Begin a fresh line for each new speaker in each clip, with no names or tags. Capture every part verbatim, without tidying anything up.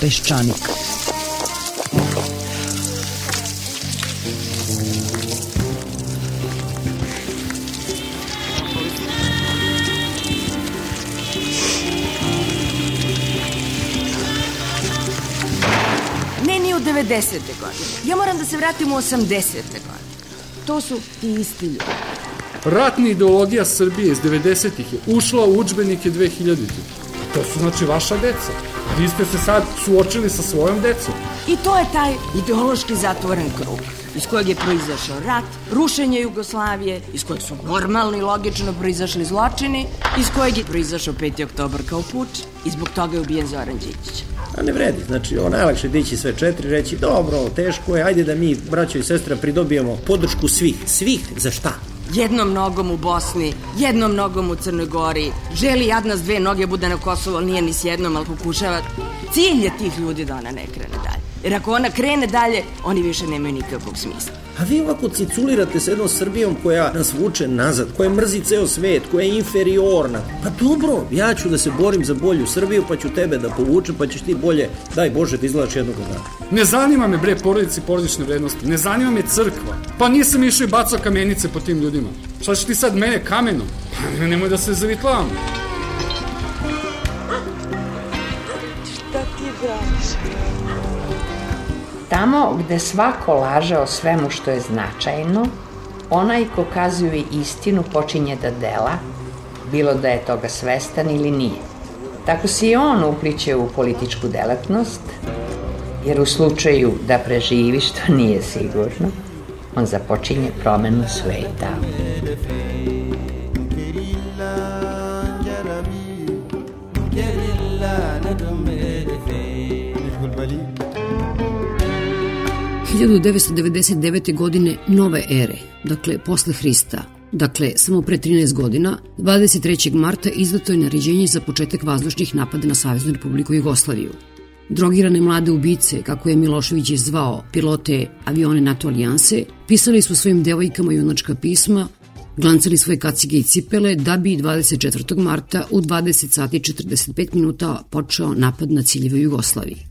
Peščanik.
Ne, ni u devedesete godine. Ja moram da se vratim u osamdesete godine. To su ti isti ljudi.
Ratna ideologija Srbije iz devedesetih je ušla u udžbenike dve hiljaditih. To su znači vaša deca. Vi ste se sad suočili sa svojom decom.
I to je taj ideološki zatvoren krug, iz kojeg je proizašao rat, rušenje Jugoslavije, iz kojeg su normalni i logično proizašli zločini, iz kojeg je proizašao peti oktobar kao puč i zbog toga je ubijen Zoran Đinđić.
A ne vredi, znači ovo najlakše dići sve četiri, reći dobro, teško je, ajde da mi, braćo i sestra, pridobijemo podršku svih. Svih za šta?
Jednom nogom u Bosni, jednom nogom u Crnoj Gori, želi jadna s dve noge bude na Kosovo, ali nije ni s jednom, ali pokušava. Cilj je tih ljudi da ona ne krene dalje. Jer ako ona krene dalje, oni više nemaju nikakvog smisla.
A vi ovako ciculirate s jednom Srbijom koja nas vuče nazad, koja mrzi ceo svet, koja je inferiorna. Pa dobro, ja ću da se borim za bolju Srbiju, pa ću tebe da povučem, pa ćeš ti bolje, daj Bože, da izgledaš jednog dana.
Ne zanima me, bre, porodice i porodične vrednosti, ne zanima me crkva. Pa nisam išao i bacao kamenice po tim ljudima. Šta će ti sad mene kamenom? Pa nemoj da se zavitlavam.
Šta ti braniš?
Tamo gde svako laže o svemu što je značajno, onaj ko kazuje istinu počinje da dela, bilo da je toga svestan ili nije. Tako se i on upliće u političku delatnost, jer u slučaju da preživi, što nije sigurno, on započinje promenu sveta.
hiljadu devetsto devedeset devete. godine nove ere, dakle posle Hrista, dakle samo pre trinaest godina, dvadeset trećeg marta izdato je naređenje za početak vazdušnih napada na Saveznu Republiku Jugoslaviju. Drogirane mlade ubice, kako je Milošević zvao pilote avione NATO alijanse, pisali su svojim devojkama junačka pisma, glancali svoje kacige i cipele da bi dvadeset četvrtog marta u dvadeset sati i četrdeset pet minuta počeo napad na ciljeve u Jugoslaviji.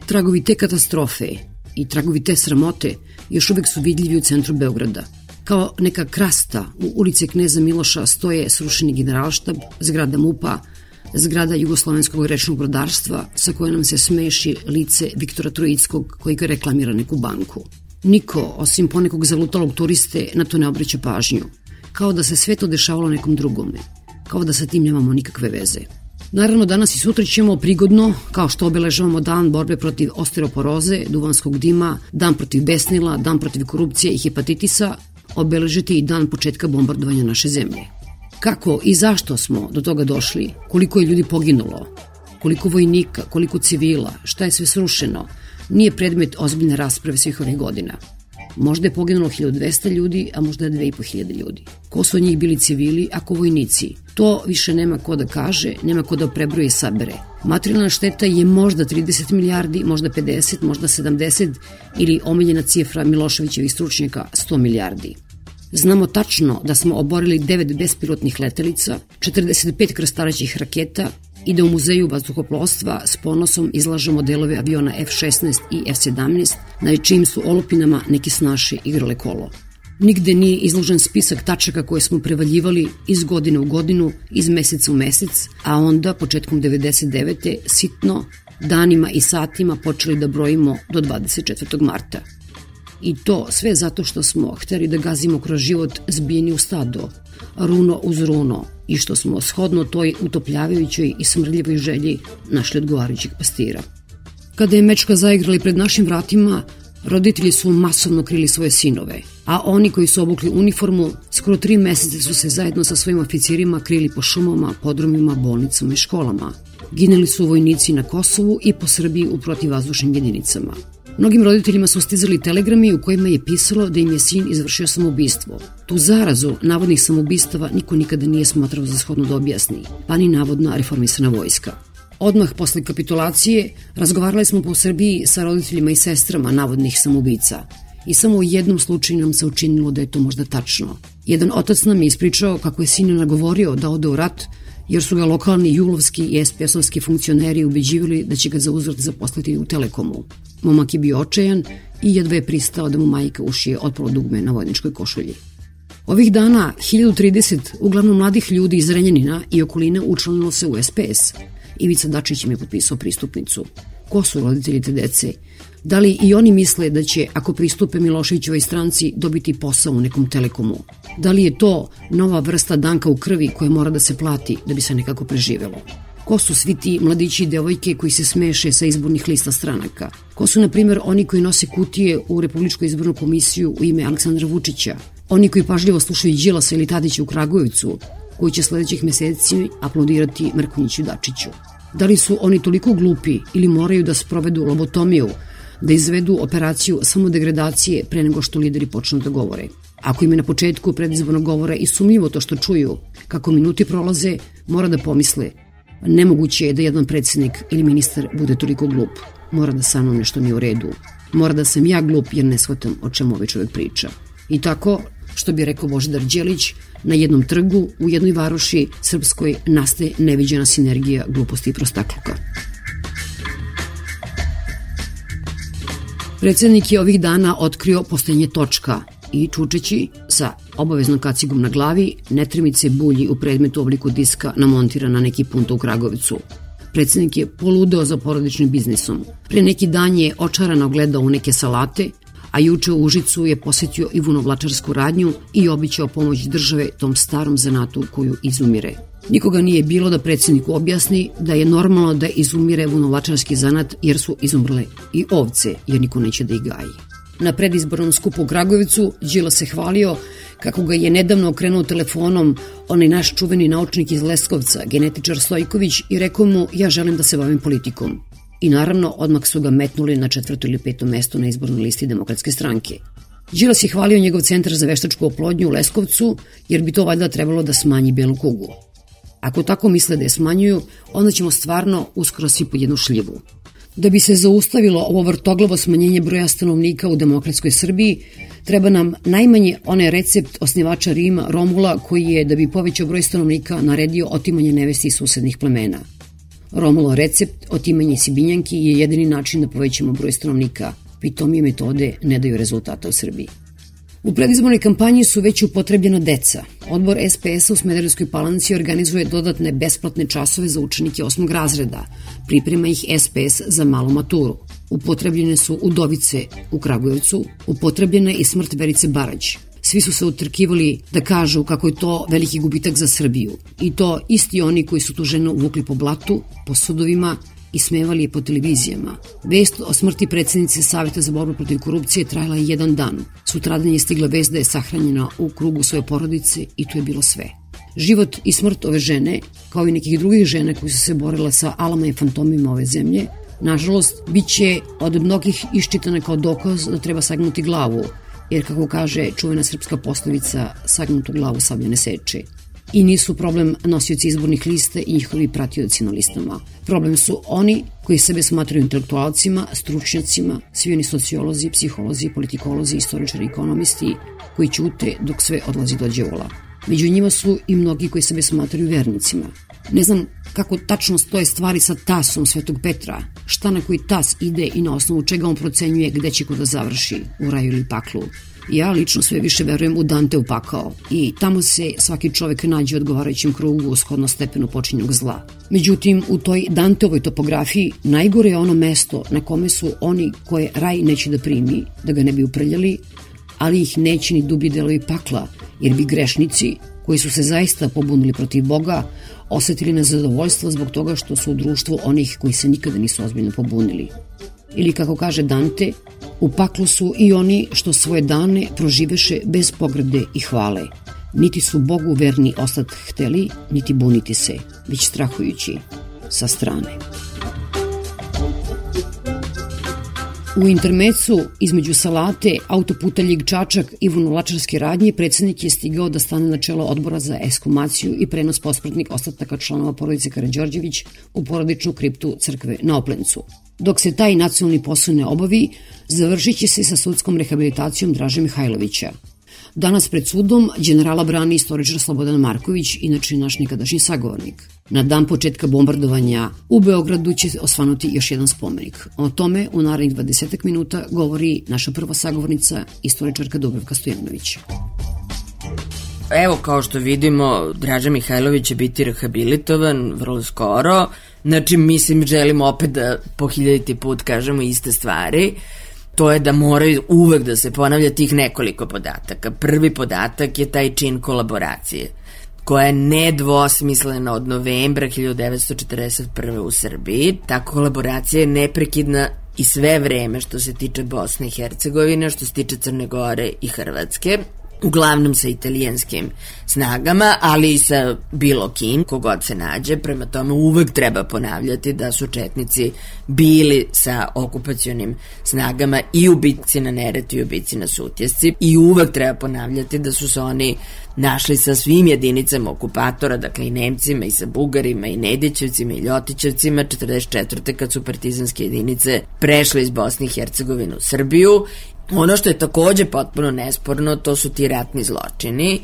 Tragovi te katastrofe i tragovi te sramote još uvek su vidljivi u centru Beograda. Kao neka krasta u ulici Kneza Miloša stoje srušeni generalštab, zgrada MUP-a, zgrada Jugoslovenskog rečnog brodarstva sa koje nam se smeši lice Viktora Trojickog koji ga reklamira neku banku. Niko, osim ponekog zalutalog turiste, na to ne obraća pažnju. Kao da se sve to dešavalo nekom drugome. Kao da sa tim nemamo nikakve veze. Naravno, danas i sutra ćemo prigodno, kao što obeležavamo dan borbe protiv osteoporoze, duvanskog dima, dan protiv besnila, dan protiv korupcije i hepatitisa, obeležiti i dan početka bombardovanja naše zemlje. Kako i zašto smo do toga došli, koliko je ljudi poginulo, koliko vojnika, koliko civila, šta je sve srušeno, nije predmet ozbiljne rasprave svih ovih godina. Možda je poginulo hiljadu dvesta ljudi, a možda je dve i po hiljade ljudi. Ko su od njih bili civili, ako vojnici? To više nema ko da kaže, nema ko da prebroje i sabere. Materijalna šteta je možda trideset milijardi, možda pedeset, možda sedamdeset ili omiljena cifra Miloševićevih stručnjaka sto milijardi. Znamo tačno da smo oborili devet bespilotnih letelica, četrdeset pet krstaraćih raketa i da u Muzeju vazduhoplovstva s ponosom izlažemo delove aviona F šesnaest i F sedamnaest, na čijim su olupinama neki snaše igrale kolo. Nigde nije izložen spisak tačaka koje smo prevaljivali iz godine u godinu, iz meseca u mesec, a onda, početkom devedeset devete. sitno, danima i satima počeli da brojimo do dvadeset četvrtog marta. I to sve zato što smo hteli da gazimo kroz život zbijeni u stado, runo uz runo, i što smo shodno toj utopljavajućoj i smrdljivoj želji našli odgovarajućeg pastira. Kada je mečka zaigrali pred našim vratima, roditelji su masovno krili svoje sinove, a oni koji su obukli uniformu skoro tri meseca su se zajedno sa svojim oficirima krili po šumama, podrumima, bolnicama i školama. Ginuli su vojnici na Kosovu i po Srbiji u protivvazdušnim jedinicama. Mnogim roditeljima su stizali telegrami u kojima je pisalo da im je sin izvršio samoubistvo. Tu zarazu navodnih samoubistava niko nikada nije smatrao za shodno da objasni, pa ni navodna reformisana vojska. Odmah posle kapitulacije razgovarali smo po Srbiji sa roditeljima i sestrama navodnih samoubica i samo u jednom slučaju nam se učinilo da je to možda tačno. Jedan otac nam je ispričao kako je sin nagovorio da ode u rat jer su ga lokalni julovski i es pe es-ovski funkcioneri ubeđivali da će ga za uzvrat zaposliti u Telekomu. Momak je bio očajan i jedva je pristao da mu majka ušije otpalo dugme na vojničkoj košulji. Ovih dana hiljadu trideset uglavnom mladih ljudi iz Renjanina i okoline učlanilo se u es pe es. Ivica Dačić im je potpisao pristupnicu. Ko su roditelji te dece? Da li i oni misle da će, ako pristupe Miloševićevoj stranci, dobiti posao u nekom Telekomu? Da li je to nova vrsta danka u krvi koja mora da se plati da bi se nekako preživelo? Ko su svi ti mladići i devojke koji se smeše sa izbornih lista stranaka? Ko su, na primjer, oni koji nose kutije u Republičku izbornu komisiju u ime Aleksandra Vučića? Oni koji pažljivo slušaju Đilasa ili Tadića u Kragujevcu, koji će sledećih meseci aplaudirati Mrkonjiću i Dačiću? Da li su oni toliko glupi ili moraju da sprovedu lobotomiju, da izvedu operaciju samodegradacije pre nego što lideri počnu da govore? Ako im je na početku predizbornog govora i sumnjivo to što čuju, kako minuti prolaze, mora da pomisle: nemoguće je da jedan predsjednik ili ministar bude toliko glup. Mora da sa mnom nešto nije u redu. Mora da sam ja glup jer ne shvatam o čemu ovaj čovjek priča. I tako, što bi rekao Božidar Đelić, na jednom trgu u jednoj varoši srpskoj nastaje neviđena sinergija gluposti i prostakluka. Predsjednik je ovih dana otkrio postojanje točka i čučeći sa obaveznom kacigom na glavi netremice bulji u predmetu u obliku diska namontira na neki punto u Kragovicu. Predsjednik je poludeo za porodičnim biznisom. Pre neki dan je očarano gledao u neke salate, a juče u Užicu je posjetio i vunovlačarsku radnju i običao pomoć države tom starom zanatu koju izumire. Nikoga nije bilo da predsjedniku objasni da je normalno da izumire vunovlačarski zanat jer su izumrle i ovce, jer niko neće da ih gaji. Na predizbornom skupu u Kragovicu Đilas se hvalio kako ga je nedavno okrenuo telefonom onaj naš čuveni naučnik iz Leskovca, genetičar Stojković, i rekao mu: ja želim da se bavim politikom. I naravno, odmah su ga metnuli na četvrto ili peto mesto na izbornoj listi Demokratske stranke. Đilas je hvalio njegov centar za veštačku oplodnju u Leskovcu, jer bi to valjda trebalo da smanji belu kugu. Ako tako misle da je smanjuju, onda ćemo stvarno uskoro svi pod jednu šljivu. Da bi se zaustavilo ovo vrtoglavo smanjenje broja stanovnika u demokratskoj Srbiji, treba nam najmanje onaj recept osnivača Rima, Romula, koji je, da bi povećao broj stanovnika, naredio otimanje nevesti iz susednih plemena. Romulov recept, otimanje Sibinjanki, je jedini način da povećamo broj stanovnika. Pitomije metode ne daju rezultata u Srbiji. U predizbornoj kampanji su već upotrebljena deca. Odbor es pe es-a u Smederevskoj Palanci organizuje dodatne besplatne časove za učenike osmog razreda. Priprema ih es pe es za malu maturu. Upotrebljene su udovice u Kragujevcu, upotrebljena je i smrt Verice Barać. Svi su se utrkivali da kažu kako je to veliki gubitak za Srbiju. I to isti oni koji su tu ženu vukli po blatu, po sudovima i smevali je po televizijama. Vest o smrti predsjednice Saveta za borbu protiv korupcije trajala je jedan dan. Sutradan je stigla vest da je sahranjena u krugu svoje porodice i to je bilo sve. Život i smrt ove žene, kao i nekih drugih žena koji su se borile sa alama i fantomima ove zemlje, nažalost, bit će od mnogih iščitana kao dokaz da treba sagnuti glavu, jer kako kaže čuvena srpska poslovica, sagnutu glavu sablja ne seče. I nisu problem nosioci izbornih lista i njihovi pratioci na listama. Problem su oni koji sebe smatraju intelektualcima, stručnjacima, svi oni sociolozi, psiholozi, politikolozi, istoričari, ekonomisti, koji ćute dok sve odlazi do đavola. Među njima su i mnogi koji sebe smatraju vernicima. Ne znam kako tačno stoje stvari sa tasom Svetog Petra, šta na koji tas ide i na osnovu čega on procenjuje gde će ko da završi, u raju ili paklu. Ja lično sve više verujem u Danteu pakao i tamo se svaki čovek nađe u odgovarajućem krugu shodno stepenu počinjenog zla. Međutim, u toj Danteovoj topografiji najgore je ono mesto na kome su oni koje raj neće da primi, da ga ne bi uprljali, ali ih neće ni dublji delovi pakla, jer bi grešnici, koji su se zaista pobunili protiv Boga, osetili nezadovoljstvo zbog toga što su u društvu onih koji se nikada nisu ozbiljno pobunili. Ili kako kaže Dante, u paklu su i oni što svoje dane proživeše bez pograde i hvale. Niti su Bogu verni ostat hteli, niti buniti se, već strahujući sa strane. U intermecu između Salate, autoputa Ljig-Čačak i vunovlačarske radnje predsjednik je stigao da stane na čelo odbora za ekshumaciju i prenos posmrtnih ostataka članova porodice Karađorđević u porodičnu kriptu crkve na Oplencu. Dok se taj nacionalni posao ne obavi, završit će se sa sudskom rehabilitacijom Draže Mihajlovića. Danas pred sudom generala brani istoričar Slobodan Marković, inače naš nekadašnji sagovornik. Na dan početka bombardovanja u Beogradu će osvanuti još jedan spomenik. O tome u narednih dvadeset minuta govori naša prva sagovornica, istoričarka Dubravka Stojanović.
Evo, kao što vidimo, Draža Mihajlović će biti rehabilitovan vrlo skoro. Znači, mislim, želimo opet da po hiljaditi put kažemo iste stvari. To je da moraju uvek da se ponavlja tih nekoliko podataka. Prvi podatak je taj čin kolaboracije, koja je nedvosmislena od novembra hiljadu devetsto četrdeset prve u Srbiji. Ta kolaboracija je neprekidna i sve vreme što se tiče Bosne i Hercegovine, što se tiče Crne Gore i Hrvatske, uglavnom sa italijanskim snagama, ali i sa bilo kim, kogod se nađe. Prema tome uvek treba ponavljati da su četnici bili sa okupacionim snagama i u bitci na Neretvi i u bitci na Sutjesci, i uvek treba ponavljati da su se oni našli sa svim jedinicama okupatora, dakle i Nemcima i sa Bugarima i Nedićevcima i Ljotićevcima četrdeset četvrte kad su partizanske jedinice prešle iz Bosne i Hercegovine u Srbiju. Ono što je takođe potpuno nesporno, to su ti ratni zločini,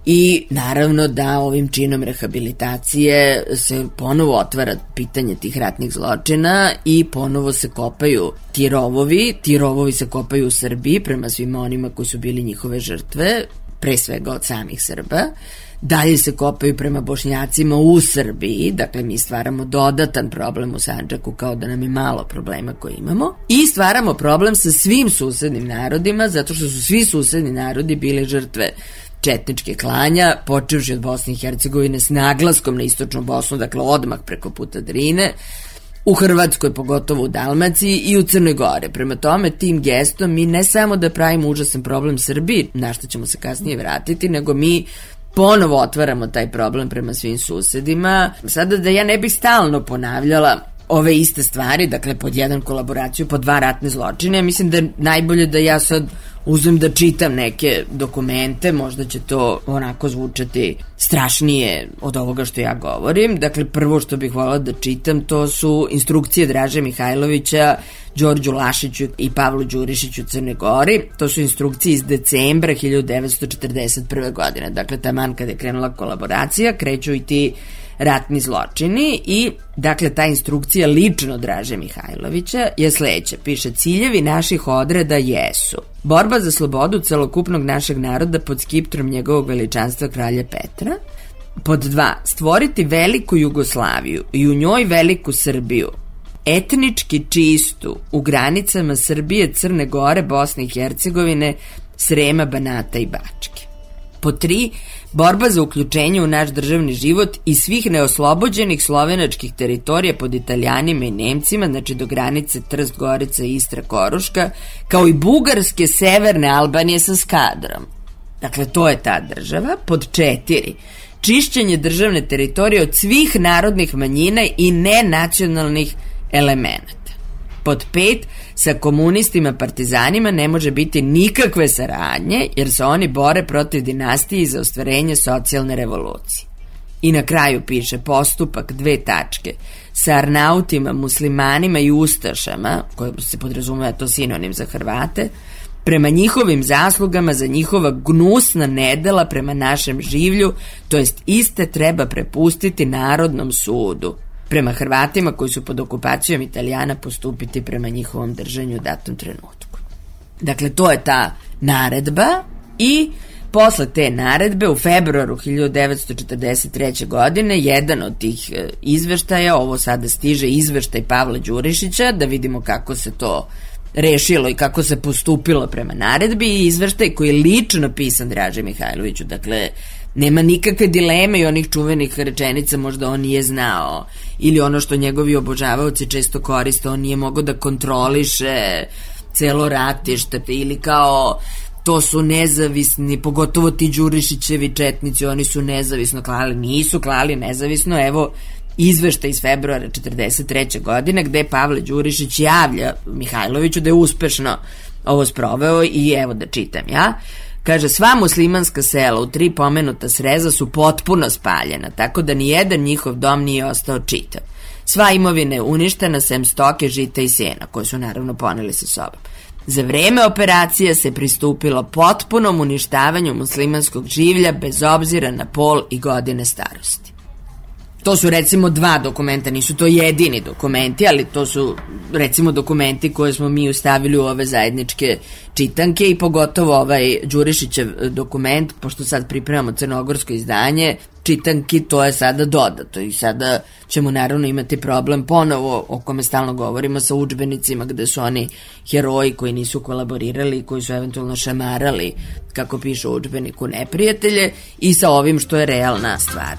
i naravno da ovim činom rehabilitacije se ponovo otvara pitanje tih ratnih zločina i ponovo se kopaju ti rovovi. Ti rovovi se kopaju u Srbiji prema svima onima koji su bili njihove žrtve, pre svega od samih Srba. Dalje se kopaju prema Bošnjacima u Srbiji, dakle mi stvaramo dodatan problem u Sandžaku, kao da nam je malo problema koje imamo, i stvaramo problem sa svim susednim narodima, zato što su svi susedni narodi bili žrtve četničke klanja, počevši od Bosne i Hercegovine s naglaskom na istočnu Bosnu, dakle odmah preko puta Drine, u Hrvatskoj, pogotovo u Dalmaciji, i u Crnoj Gore. Prema tome, tim gestom mi ne samo da pravimo užasan problem Srbiji, na što ćemo se kasnije vratiti, nego mi ponovo otvaramo taj problem prema svim susedima. Sada da ja ne bih stalno ponavljala ove iste stvari, dakle pod jedan kolaboraciju, pod dva ratne zločine, mislim da je najbolje da ja sad uzmem da čitam neke dokumente, možda će to onako zvučati strašnije od ovoga što ja govorim. Dakle, prvo što bih voljela da čitam, to su instrukcije Draže Mihajlovića Đorđu Lašiću i Pavlu Đurišiću u Crnoj Gori. To su instrukcije iz decembra hiljadu devetsto četrdeset prve godine. Dakle, taman kada je krenula kolaboracija, kreću i ti ratni zločini, i dakle ta instrukcija lično Draže Mihajlovića je sledeća. Piše: ciljevi naših odreda jesu borba za slobodu celokupnog našeg naroda pod skiptrom njegovog veličanstva kralja Petra. Pod dva, stvoriti veliku Jugoslaviju i u njoj veliku Srbiju, etnički čistu u granicama Srbije, Crne Gore, Bosne i Hercegovine, Srema, Banata i Bačke. Pod tri, borba za uključenje u naš državni život i svih neoslobođenih slovenačkih teritorija pod Italijanima i Nemcima, znači do granice Trst, Gorica, Istra, Koruška, kao i bugarske severne Albanije sa Skadrom. Dakle, to je ta država. Pod četiri, čišćenje državne teritorije od svih narodnih manjina i nenacionalnih elemenata. Pod pet, sa komunistima partizanima ne može biti nikakve saradnje, jer se oni bore protiv dinastije i za ostvarenje socijalne revolucije. I na kraju piše postupak dve tačke sa Arnautima, muslimanima i ustašama, koje se podrazumeva to sinonim za Hrvate, prema njihovim zaslugama za njihova gnusna nedela prema našem življu, to jest iste treba prepustiti Narodnom sudu. Prema Hrvatima koji su pod okupacijom Italijana postupiti prema njihovom držanju u datom trenutku. Dakle, to je ta naredba, i posle te naredbe u februaru hiljadu devetsto četrdeset treće godine jedan od tih izveštaja, ovo sada stiže izveštaj Pavla Đurišića, da vidimo kako se to rešilo i kako se postupilo prema naredbi, i izveštaj koji je lično pisan Draži Mihajloviću. Dakle, nema nikakve dileme i onih čuvenih rečenica možda on nije znao, ili ono što njegovi obožavaoci često koriste, on nije mogao da kontroliše celo ratište, ili kao to su nezavisni, pogotovo ti Đurišićevi četnici, oni su nezavisno klali. Nisu klali nezavisno. Evo izveštaj iz februara četrdeset treće godine gde Pavle Đurišić javlja Mihajloviću da je uspešno ovo sproveo, i evo da čitam ja. Kaže, sva muslimanska sela u tri pomenuta sreza su potpuno spaljena, tako da ni jedan njihov dom nije ostao čitav. Sva imovina je uništena sem stoke, žita i sena, koje su naravno poneli sa sobom. Za vreme operacije se pristupilo potpunom uništavanju muslimanskog življa bez obzira na pol i godine starosti. To su recimo dva dokumenta, nisu to jedini dokumenti, ali to su recimo dokumenti koje smo mi ustavili u ove zajedničke čitanke i pogotovo ovaj Đurišićev dokument, pošto sad pripremamo crnogorsko izdanje, čitanki, to je sada dodato i sada ćemo naravno imati problem ponovo o kome stalno govorimo sa udžbenicima gde su oni heroji koji nisu kolaborirali, koji su eventualno šamarali, kako piše u udžbeniku, neprijatelje i sa ovim što je realna stvar.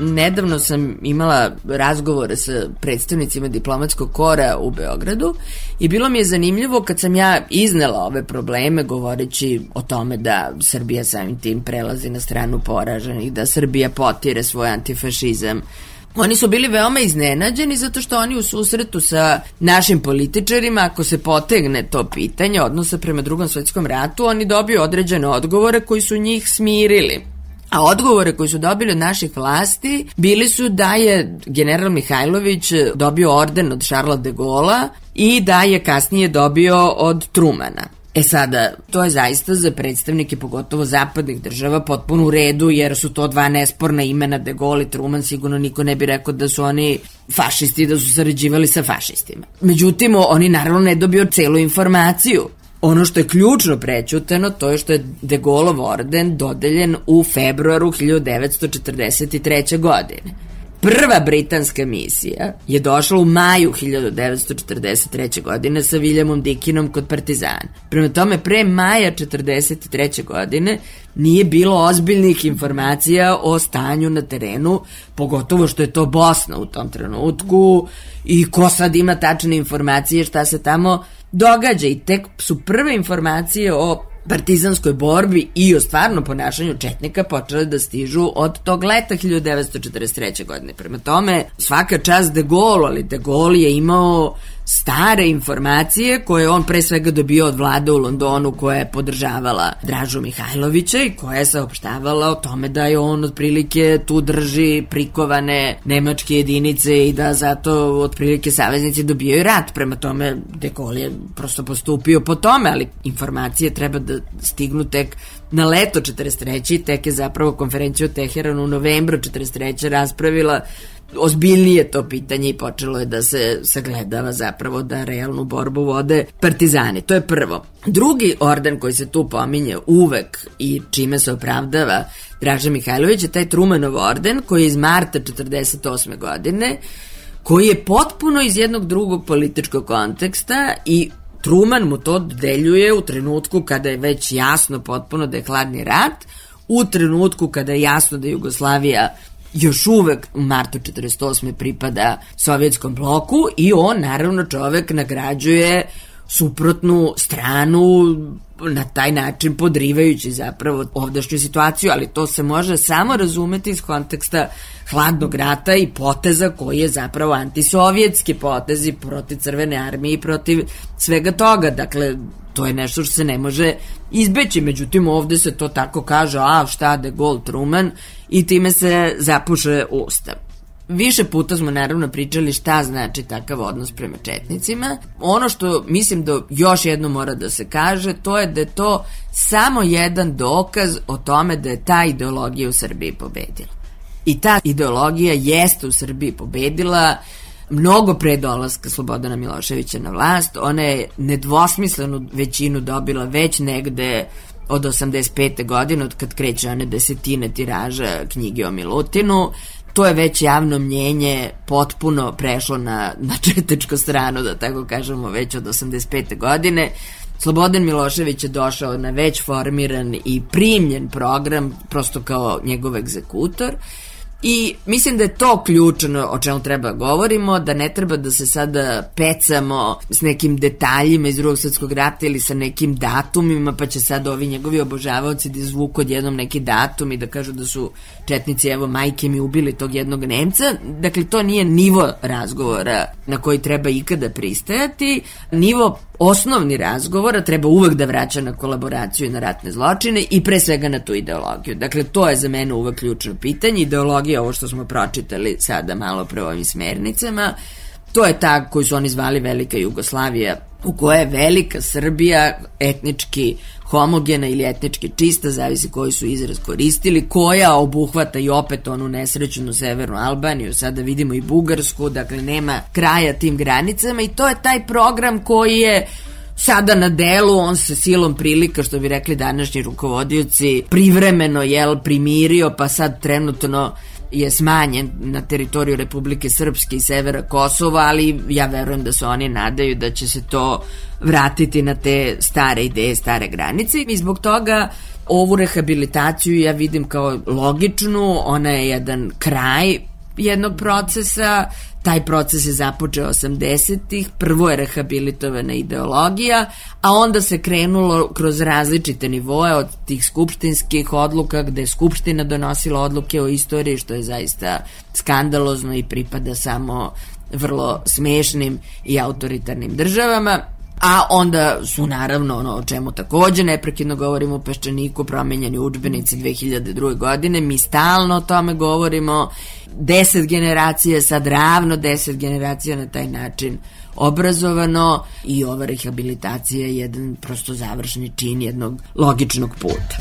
Nedavno sam imala razgovore sa predstavnicima diplomatskog kora u Beogradu i bilo mi je zanimljivo kad sam ja iznela ove probleme govoreći o tome da Srbija samim tim prelazi na stranu poraženih, da Srbija potire svoj antifašizam. Oni su bili veoma iznenađeni zato što oni u susretu sa našim političarima, ako se potegne to pitanje odnosa prema Drugom svetskom ratu, oni dobiju određene odgovore koji su njih smirili. A odgovore koji su dobili od naših vlasti bili su da je general Mihajlović dobio orden od Šarla de Gola i da je kasnije dobio od Trumana. E sada, to je zaista za predstavnike pogotovo zapadnih država potpuno u redu, jer su to dva nesporna imena, de Gaulle i Truman, sigurno niko ne bi rekao da su oni fašisti, da su sarađivali sa fašistima. Međutim, oni naravno ne dobio celu informaciju. Ono što je ključno prećuteno, to je što je de Gaulleov orden dodeljen u februaru hiljadu devetsto četrdeset treće. godine. Prva britanska misija je došla u maju hiljadu devetsto četrdeset treće. godine sa Williamom Dickinom kod Partizana. Prema tome, pre maja četrdeset treće. godine nije bilo ozbiljnih informacija o stanju na terenu, pogotovo što je to Bosna u tom trenutku i ko sad ima tačne informacije šta se tamo događa, i tek su prve informacije o partizanskoj borbi i o stvarnom ponašanju četnika počele da stižu od tog leta hiljadu devetsto četrdeset treće. godine. Prema tome, svaka čast de Gaulle, ali de Gaulle je imao stare informacije koje on pre svega dobio od vlade u Londonu, koja je podržavala Dražu Mihajlovića i koja je saopštavala o tome da je on otprilike tu drži prikovane nemačke jedinice i da zato otprilike saveznici dobijaju rat. Prema tome, de Gaulle je prosto postupio po tome, ali informacije treba da stignu tek na leto četrdeset treće. tek je zapravo konferencija u Teheranu u novembru četrdeset treće. raspravila ozbiljnije to pitanje i počelo je da se sagledava zapravo da realnu borbu vode partizani. To je prvo. Drugi orden koji se tu pominje uvek i čime se opravdava Draža Mihajlović je taj Trumanov orden koji je iz marta četrdeset osme. godine, koji je potpuno iz jednog drugog političkog konteksta i Truman mu to dodeljuje u trenutku kada je već jasno potpuno da je hladni rat, u trenutku kada je jasno da Jugoslavija još uvek u martu četrdeset osme pripada sovjetskom bloku i on naravno čovek nagrađuje suprotnu stranu na taj način podrivajući zapravo ovdašnju situaciju, ali to se može samo razumeti iz konteksta hladnog rata i poteza koji je zapravo antisovjetski potezi protiv Crvene armije i protiv svega toga. Dakle, to je nešto što se ne može izbeći, međutim ovde se to tako kaže, a šta de Gaulle, Truman, i time se zapuše ustav. Više puta smo naravno pričali šta znači takav odnos prema četnicima. Ono što mislim da još jedno mora da se kaže, to je da je to samo jedan dokaz o tome da je ta ideologija u Srbiji pobedila. I ta ideologija jeste u Srbiji pobedila mnogo pre dolaska Slobodana Miloševića na vlast. Ona je nedvosmislenu većinu dobila već negde od osamdeset pete. godine, od kad kreće one desetine tiraža knjige o Milutinu. To je već javno mnjenje potpuno prešlo na, na četničku stranu, da tako kažemo, već od osamdeset pete. godine. Slobodan Milošević je došao na već formiran i primljen program, prosto kao njegov egzekutor. I mislim da je to ključno o čemu treba govorimo, da ne treba da se sada pecamo s nekim detaljima iz Drugog svjetskog rata ili sa nekim datumima, pa će sad ovi njegovi obožavaoci da izvuku odjednom neki datum i da kažu da su četnici, evo, majke mi ubili tog jednog Nemca. Dakle, to nije nivo razgovora na koji treba ikada pristajati. Nivo osnovni razgovora treba uvek da vraća na kolaboraciju i na ratne zločine i pre svega na tu ideologiju. Dakle, to je za mene uvek ključno pitanje. Ideologija ideologija, ovo što smo pročitali sada malo pre ovim smernicama, to je ta koju su oni zvali Velika Jugoslavija, u kojoj je Velika Srbija etnički homogena ili etnički čista, zavisi koji su izraz koristili, koja obuhvata i opet onu nesrećnu severnu Albaniju, sada vidimo i Bugarsku, dakle nema kraja tim granicama i to je taj program koji je sada na delu, on se silom prilika, što bi rekli današnji rukovodioci, privremeno jel, primirio, pa sad trenutno je smanjen na teritoriju Republike Srpske i severa Kosova, ali ja verujem da se oni nadaju da će se to vratiti na te stare ideje, stare granice i zbog toga ovu rehabilitaciju ja vidim kao logičnu, ona je jedan kraj jednog procesa, taj proces je započeo osamdesetih, prvo je rehabilitovana ideologija, a onda se krenulo kroz različite nivoe od tih skupštinskih odluka gde je skupština donosila odluke o istoriji, što je zaista skandalozno i pripada samo vrlo smešnim i autoritarnim državama. A onda su naravno ono o čemu takođe neprekidno govorimo u Peščaniku, promenjeni udžbenici dve hiljade druge. godine, mi stalno o tome govorimo, deset generacija, sad ravno deset generacija na taj način obrazovano i ova rehabilitacija je jedan prosto završni čin jednog logičnog puta.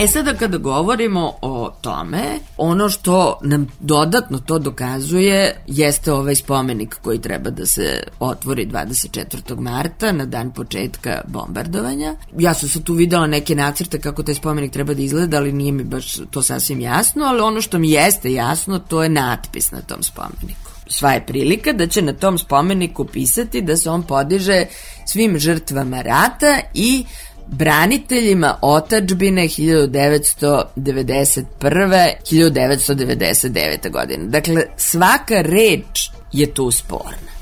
E sada kada govorimo o tome, ono što nam dodatno to dokazuje jeste ovaj spomenik koji treba da se otvori dvadeset četvrtog marta na dan početka bombardovanja. Ja sam sad tu videla neke nacrte kako taj spomenik treba da izgleda, ali nije mi baš to sasvim jasno, ali ono što mi jeste jasno to je natpis na tom spomeniku. Sva je prilika da će na tom spomeniku pisati da se on podiže svim žrtvama rata i braniteljima otadžbine hiljadu devetsto devedeset prve do hiljadu devetsto devedeset devete. godine. Dakle, svaka reč je tu sporna.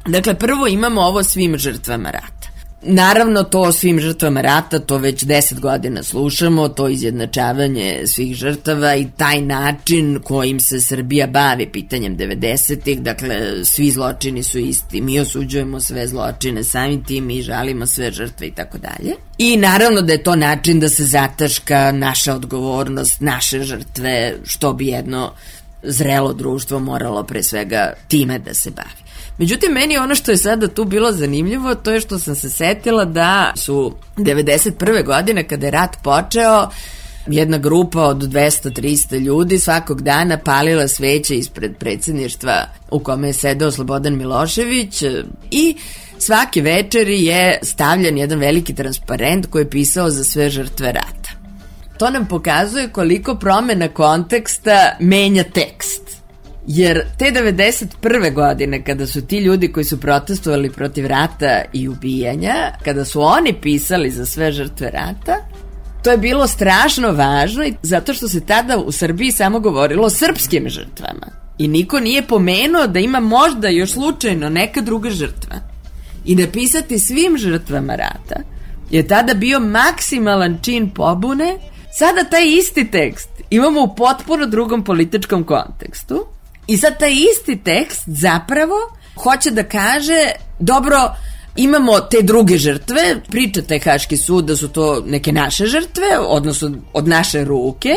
Dakle, prvo imamo ovo svim žrtvama rata. Naravno, to svim žrtvama rata, to već deset godina slušamo, to izjednačavanje svih žrtava i taj način kojim se Srbija bavi pitanjem devedesetih, dakle, svi zločini su isti, mi osuđujemo sve zločine, samim tim mi žalimo sve žrtve i tako dalje. I naravno da je to način da se zataška naša odgovornost, naše žrtve, što bi jedno zrelo društvo moralo pre svega time da se bavi. Međutim, meni ono što je sada tu bilo zanimljivo, to je što sam se setila da su devedeset prve. godine, kada je rat počeo, jedna grupa od dvesta do trista ljudi svakog dana palila sveće ispred predsjedništva u kome je sedeo Slobodan Milošević i svake večeri je stavljen jedan veliki transparent koji je pisao za sve žrtve rata. To nam pokazuje koliko promena konteksta menja tekst. Jer te devedeset prve. godine, kada su ti ljudi koji su protestovali protiv rata i ubijanja, kada su oni pisali za sve žrtve rata, to je bilo strašno važno i zato što se tada u Srbiji samo govorilo o srpskim žrtvama. I niko nije pomenuo da ima možda još slučajno neka druga žrtva. I napisati svim žrtvama rata je tada bio maksimalan čin pobune. Sada taj isti tekst imamo u potpuno drugom političkom kontekstu. I sad taj isti tekst zapravo hoće da kaže, dobro, imamo te druge žrtve, priča taj Haški sud da su to neke naše žrtve, odnosno od naše ruke,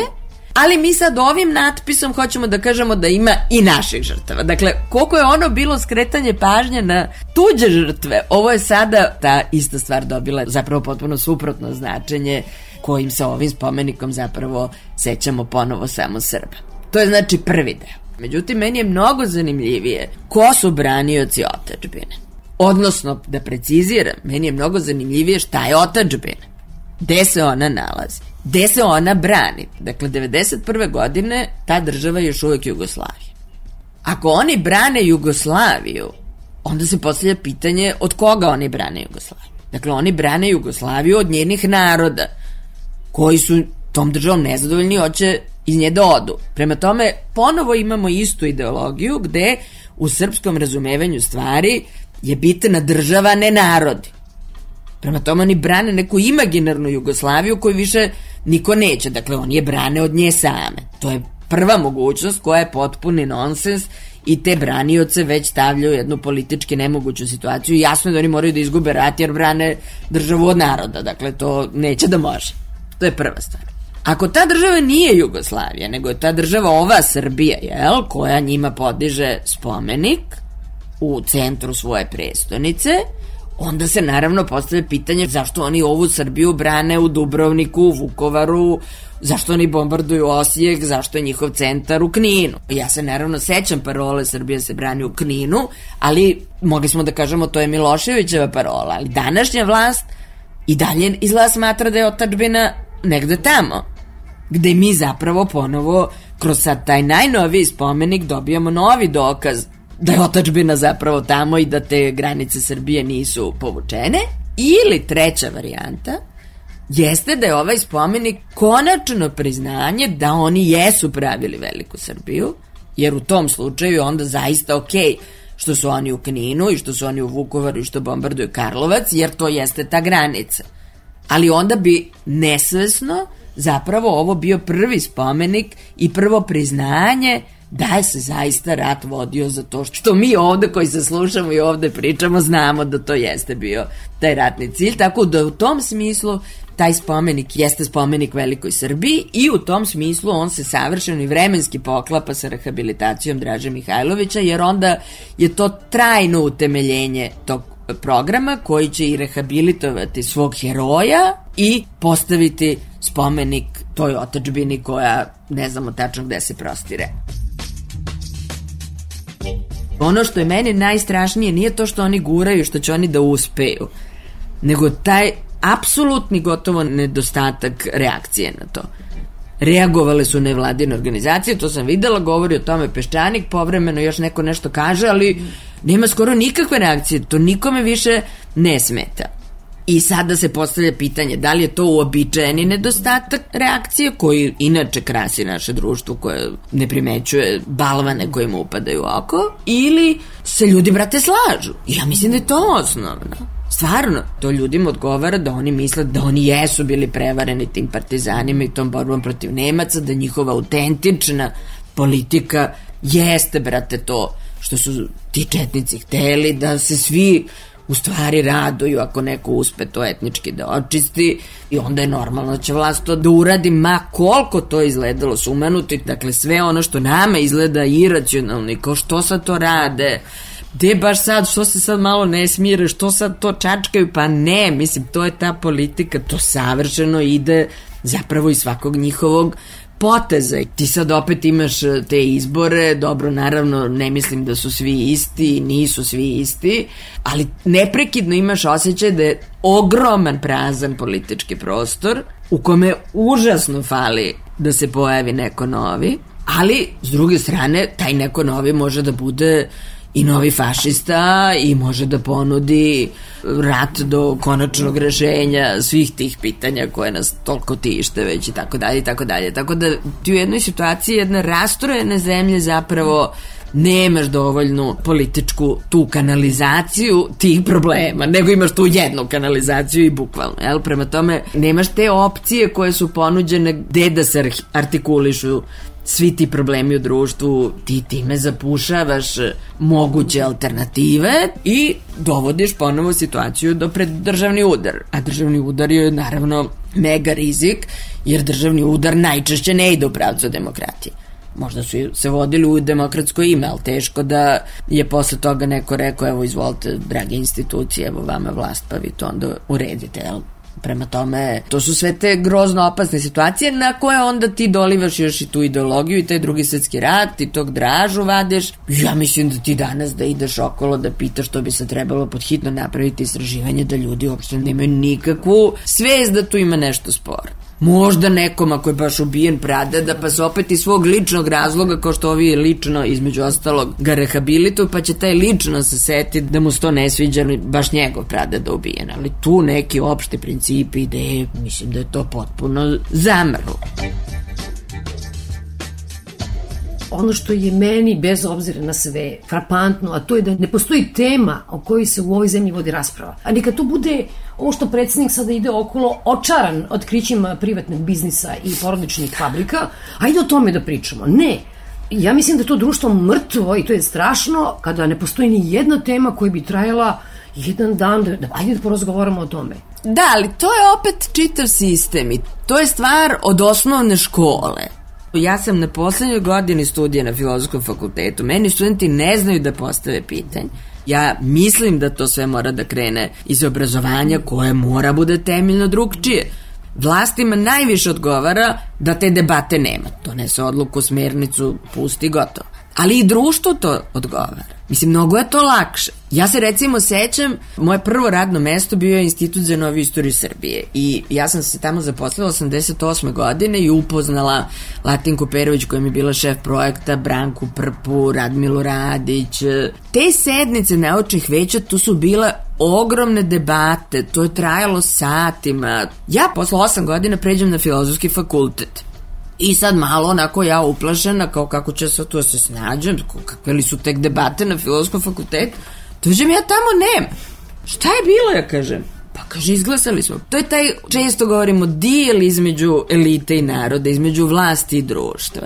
ali mi sad ovim natpisom hoćemo da kažemo da ima i naših žrtava. Dakle, koliko je ono bilo skretanje pažnje na tuđe žrtve, ovo je sada ta ista stvar dobila zapravo potpuno suprotno značenje kojim se ovim spomenikom zapravo sećamo ponovo samo Srba. To je znači prvi deo. Međutim, meni je mnogo zanimljivije ko su branioci otadžbine. Odnosno, da preciziram, meni je mnogo zanimljivije šta je otadžbina. Gde se ona nalazi? Gde se ona brani? Dakle, devedeset prve. godine ta država je još uvek Jugoslavija. Ako oni brane Jugoslaviju, onda se postavlja pitanje od koga oni brane Jugoslaviju. Dakle, oni brane Jugoslaviju od njenih naroda, koji su tom državom nezadovoljni i hoće iz nje da odu. Prema tome, ponovo imamo istu ideologiju gde u srpskom razumevanju stvari je bitna država, ne narodi. Prema tome, oni brane neku imaginarnu Jugoslaviju koju više niko neće. Dakle, oni je brane od nje same. To je prva mogućnost koja je potpuni nonsens i te branioce već stavljaju u jednu politički nemoguću situaciju. Jasno je da oni moraju da izgube rat jer brane državu od naroda. Dakle, to neće da može. To je prva stvar. Ako ta država nije Jugoslavija, nego je ta država ova Srbija, jel, koja njima podiže spomenik u centru svoje prestonice, onda se naravno postavlja pitanje zašto oni ovu Srbiju brane u Dubrovniku, u Vukovaru, zašto oni bombarduju Osijek, zašto je njihov centar u Kninu. Ja se naravno sećam parole Srbija se brani u Kninu, ali mogli smo da kažemo to je Miloševićeva parola, ali današnja vlast i dalje izgleda smatra da je otadžbina negde tamo, gde mi zapravo ponovo kroz sad taj najnoviji spomenik dobijamo novi dokaz da je otadžbina zapravo tamo i da te granice Srbije nisu povučene. Ili treća varijanta jeste da je ovaj spomenik konačno priznanje da oni jesu pravili veliku Srbiju, jer u tom slučaju onda zaista okej što su oni u Kninu i što su oni u Vukovaru i što bombarduju Karlovac, jer to jeste ta granica. Ali onda bi nesvesno zapravo ovo bio prvi spomenik i prvo priznanje da je se zaista rat vodio za to što mi ovde koji se slušamo i ovde pričamo znamo da to jeste bio taj ratni cilj, tako da u tom smislu taj spomenik jeste spomenik velikoj Srbiji i u tom smislu on se savršeno i vremenski poklapa sa rehabilitacijom Draže Mihajlovića, jer onda je to trajno utemeljenje tog programa koji će i rehabilitovati svog heroja i postaviti spomenik toj otadžbini koja ne znamo tačno gde se prostire. Ono što je meni najstrašnije nije to što oni guraju, što će oni da uspeju, nego taj apsolutni gotovo nedostatak reakcije na to. Reagovale su nevladine organizacije, to sam videla, govori o tome Peščanik, povremeno još neko nešto kaže, ali nema skoro nikakve reakcije, to nikome više ne smeta. I sada se postavlja pitanje da li je to uobičajeni nedostatak reakcije koji inače krasi naše društvo koje ne primećuje balvane koje mu upadaju u oko, ili se ljudi, brate, slažu. Ja mislim da je to osnovno. Stvarno, to ljudima odgovara da oni misle da oni jesu bili prevareni tim partizanima i tom borbom protiv Nemaca, da njihova autentična politika jeste, brate, to što su ti četnici hteli, da se svi u stvari raduju ako neko uspe to etnički da očisti i onda je normalno da će vlast to da uradi, ma koliko to izgledalo sumanuto. Dakle, sve ono što nama izgleda iracionalno i kao što sad to rade, gde baš sad, što se sad malo ne smire, što sad to čačkaju, pa ne, mislim, to je ta politika, to savršeno ide zapravo iz svakog njihovog poteza. Ti sad opet imaš te izbore, dobro, naravno, ne mislim da su svi isti, nisu svi isti, ali neprekidno imaš osjećaj da je ogroman prazan politički prostor u kome užasno fali da se pojavi neko novi, ali s druge strane, taj neko novi može da bude i novi fašista i može da ponudi rat do konačnog rešenja svih tih pitanja koje nas toliko tište već i tako dalje i tako dalje. Tako da ti u jednoj situaciji jedne rastrojene zemlje zapravo nemaš dovoljnu političku tu kanalizaciju tih problema, nego imaš tu jednu kanalizaciju i bukvalno, jel? Prema tome nemaš te opcije koje su ponuđene gde da se artikulišu svi ti problemi u društvu, ti time zapušavaš moguće alternative i dovodiš ponovo situaciju do pred državni udar. A državni udar je naravno mega rizik, jer državni udar najčešće ne ide u pravcu demokratije. Možda su se vodili u demokratsko ime, ali teško da je posle toga neko rekao, evo izvolite drage institucije, evo vama vlast, pa vi to onda uredite, jel? Prema tome, to su sve te grozno opasne situacije na koje onda ti dolivaš još i tu ideologiju i taj drugi svetski rat i tog Dražu vadeš. Ja mislim da ti danas da ideš okolo da pitaš što bi se trebalo podhitno napraviti istraživanje, da ljudi uopšte nemaju nikakvu svest da tu ima nešto sporo. Možda nekom ako je baš ubijen pradeda, pa se opet iz svog ličnog razloga, kao što ovi lično između ostalog ga rehabilituju, pa će taj lično se setiti da mu se to ne sviđa, baš njegov pradeda ubijen. Ali tu neki opšti principi, ideje, mislim da je to potpuno zamrlo.
Ono što je meni, bez obzira na sve, frapantno, a to je da ne postoji tema o kojoj se u ovoj zemlji vodi rasprava. A neka to bude ovo što predsjednik sada ide okolo očaran otkrićima privatnog biznisa i porodičnih fabrika, ajde o tome da pričamo. Ne, ja mislim da je to društvo mrtvo i to je strašno kada ne postoji ni jedna tema koja bi trajala jedan dan, da, da, ajde da porazgovaramo o tome.
Da, ali to je opet čitav sistem i to je stvar od osnovne škole. Ja sam na poslednjoj godini studija na Filozofskom fakultetu. Meni studenti ne znaju da postave pitanje. Ja mislim da to sve mora da krene iz obrazovanja koje mora bude temeljno drugčije. Vlastima najviše odgovara da te debate nema. Donese odluku, smernicu, pusti, gotovo. Ali i društvu to odgovara. Mislim, mnogo je to lakše. Ja se recimo sećam, moje prvo radno mesto bio je Institut za noviju istoriju Srbije i ja sam se tamo zaposlila osamdeset osme godine i upoznala Latinku Perović koja mi je bila šef projekta, Branku Prpu, Radmilu Radić. Te sednice naučnih veća, tu su bile ogromne debate, to je trajalo satima. Ja posle osam godina pređem na Filozofski fakultet. I sad malo onako ja uplašena, kao kako će se tu se snađem, kakve li su tek debate na Filozofskom fakultetu, dođem ja tamo, nema. Šta je bilo, ja kažem? Pa kaže, izglasali smo. To je taj, često govorimo, dijel između elite i naroda, između vlasti i društva.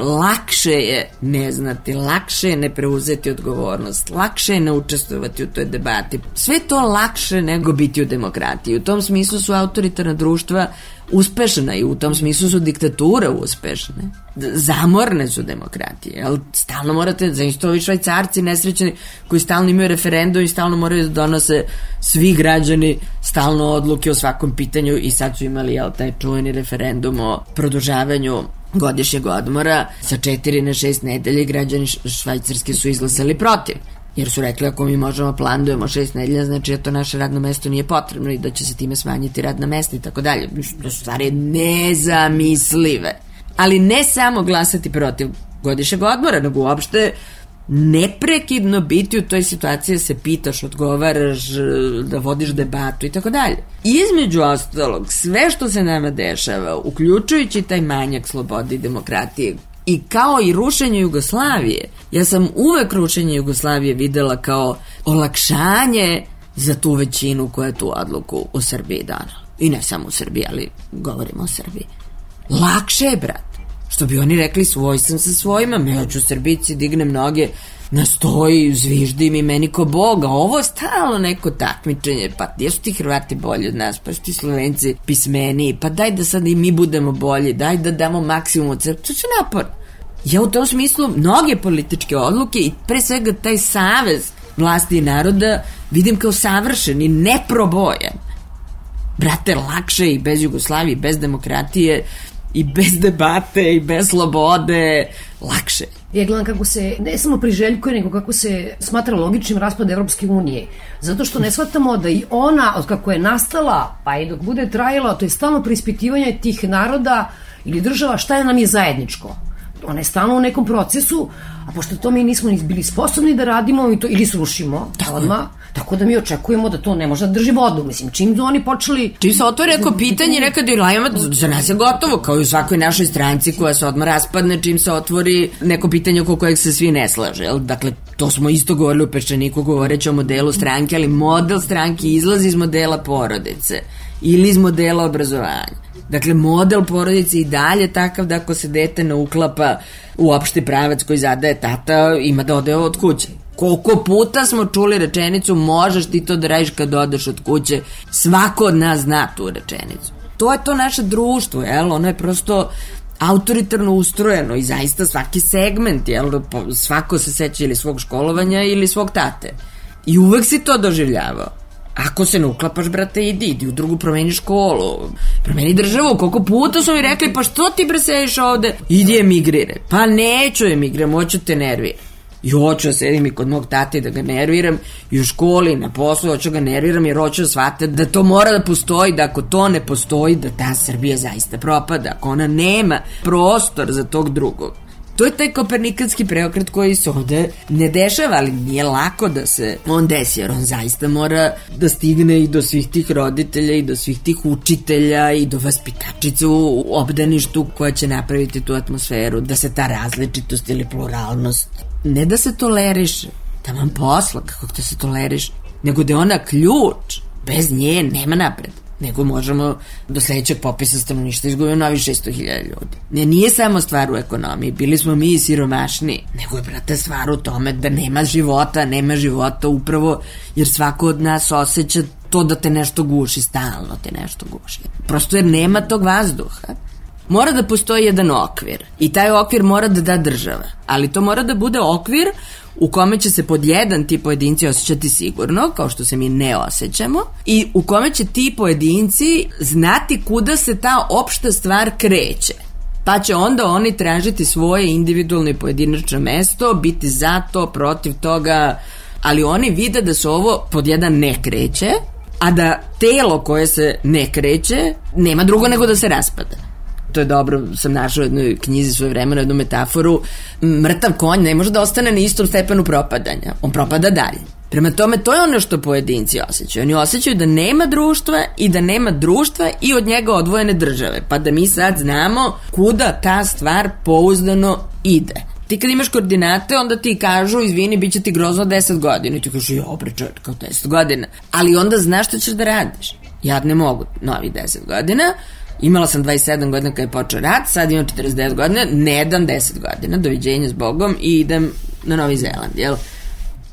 Lakše je ne znati, lakše je ne preuzeti odgovornost, lakše je ne učestvovati u toj debati. Sve to lakše nego biti u demokratiji. U tom smislu su autoritarna društva uspešna i u tom smislu su diktature uspešne. Zamorne su demokratije, ali stalno morate, za isto ovi Švajcarci nesrećeni koji stalno imaju referendum i stalno moraju da donose svi građani stalno odluke o svakom pitanju i sad su imali jel, taj čuveni referendum o produžavanju godišnjeg odmora sa četiri na šest nedelje i građani Švajcarske su izglasali protiv. Jer su rekli ako mi možemo planujemo šest nedelja, znači da to naše radno mesto nije potrebno i da će se time smanjiti radna mesta i tako dalje. To su stvari nezamislive. Ali ne samo glasati protiv godišnjeg odmora, nego uopšte neprekidno biti u toj situaciji da se pitaš, odgovaraš, da vodiš debatu i tako dalje. Između ostalog, sve što se nama dešava, uključujući taj manjak slobode i demokratije, i kao i rušenje Jugoslavije, ja sam uvek rušenje Jugoslavije videla kao olakšanje za tu većinu koja je tu odluku u Srbiji donala. I ne samo u Srbiji, ali govorimo o Srbiji. Lakše je, brat. Što bi oni rekli, svoj sam sa svojima, ja ću Srbici, dignem noge na stoji, zviždim i meni ko Boga. Ovo je stalno neko takmičenje, pa gdje su ti Hrvati bolji od nas, pa su ti Slovenci pismeniji, pa daj da sad i mi budemo bolji, daj da damo maksimum od sebe. To će napor. Ja u tom smislu mnoge političke odluke i pre svega taj savez vlasti i naroda vidim kao savršen i neprobojan. Brate, lakše i bez Jugoslavije, bez demokratije, i bez debate, i bez slobode, lakše.
Ja gledam kako se, ne samo priželjkuje, nego kako se smatra logičnim raspad Evropske unije. Zato što ne shvatamo da i ona, od kako je nastala, pa i dok bude trajala, to je stalno preispitivanje tih naroda ili država, šta je nam je zajedničko. Ona je stalno u nekom procesu, a pošto to mi nismo ni bili sposobni da radimo, mi to ili srušimo odmah, tako da mi očekujemo da to ne može da drži vodu. Mislim, čim su oni počeli...
Čim se otvore neko pitanje, reka da ilajama, za nas je gotovo, kao i u svakoj našoj stranci koja se odmah raspadne čim se otvori neko pitanje oko kojeg se svi ne slaže. Dakle, to smo isto govorili u Peščaniku govoreći o modelu stranke, ali model stranke izlazi iz modela porodice ili iz modela obrazovanja. Dakle, model porodice i dalje takav da ako se dete ne uklapa u opšti pravac koji zadaje tata, ima da ode od kuće. Koliko puta smo čuli rečenicu možeš ti to da radiš kad odeš od kuće, svako od nas zna tu rečenicu. To je to naše društvo, jel? Ono je prosto autoritarno ustrojeno i zaista svaki segment, jel? Svako se seća ili svog školovanja ili svog tate. I uvek si to doživljavao. Ako se ne uklapaš, brate, idi, idi u drugu, promeni školu, promeni državu. Koliko puta su mi rekli, pa što ti bre sediš ovde? Idi emigriraj. Pa neću emigriram, hoću te nerviram. I hoću da sedim i kod mog tate da ga nerviram i u školi, na poslu hoću ga nerviram jer hoću da shvate da to mora da postoji, da ako to ne postoji, da ta Srbija zaista propada, ako ona nema prostor za tog drugog. To je taj kopernikanski preokret koji se ovde ne dešava, ali nije lako da se on desi, jer on zaista mora da stigne i do svih tih roditelja i do svih tih učitelja i do vaspitačica u obdaništu koja će napraviti tu atmosferu, da se ta različitost ili pluralnost ne da se toleriše, da vam posla kako da se toleriše, nego da je ona ključ, bez nje nema napred. nego možemo do sledećeg popisa stanovništva izgubimo novi šesto hiljada ljudi. Ne, nije samo stvar u ekonomiji, bili smo mi i siromašni, nego je, brate, stvar u tome da nema života, nema života upravo jer svako od nas osjeća to da te nešto guši, stalno te nešto guši. Prosto jer nema tog vazduha. Mora da postoji jedan okvir i taj okvir mora da da država, ali to mora da bude okvir u kome će se pod jedan ti pojedinci osjećati sigurno, kao što se mi ne osjećamo, i u kome će ti pojedinci znati kuda se ta opšta stvar kreće. Pa će onda oni tražiti svoje individualno i pojedinačno mesto, biti za to, protiv toga, ali oni vide da se ovo pod jedan ne kreće, a da telo koje se ne kreće nema drugo nego da se raspada. To je dobro, sam našao u jednoj knjizi svoje vremena, jednu metaforu, mrtav konj ne može da ostane na istom stepenu propadanja, on propada dalje. Prema tome, to je ono što pojedinci osjećaju. Oni osjećaju da nema društva i da nema društva i od njega odvojene države, pa da mi sad znamo kuda ta stvar pouzdano ide. Ti kad imaš koordinate, onda ti kažu, izvini, bit će ti grozno deset godina. I ti kažu, jo, bre, čovječ, kao deset godina. Ali onda znaš šta ćeš da radiš. Ja ne mogu novi deset godina, imala sam dvadeset sedam godina kada je počeo rat, sad imam četrdeset devet godina, ne dam deset godina, doviđenja s Bogom i idem na Novi Zeland, jel?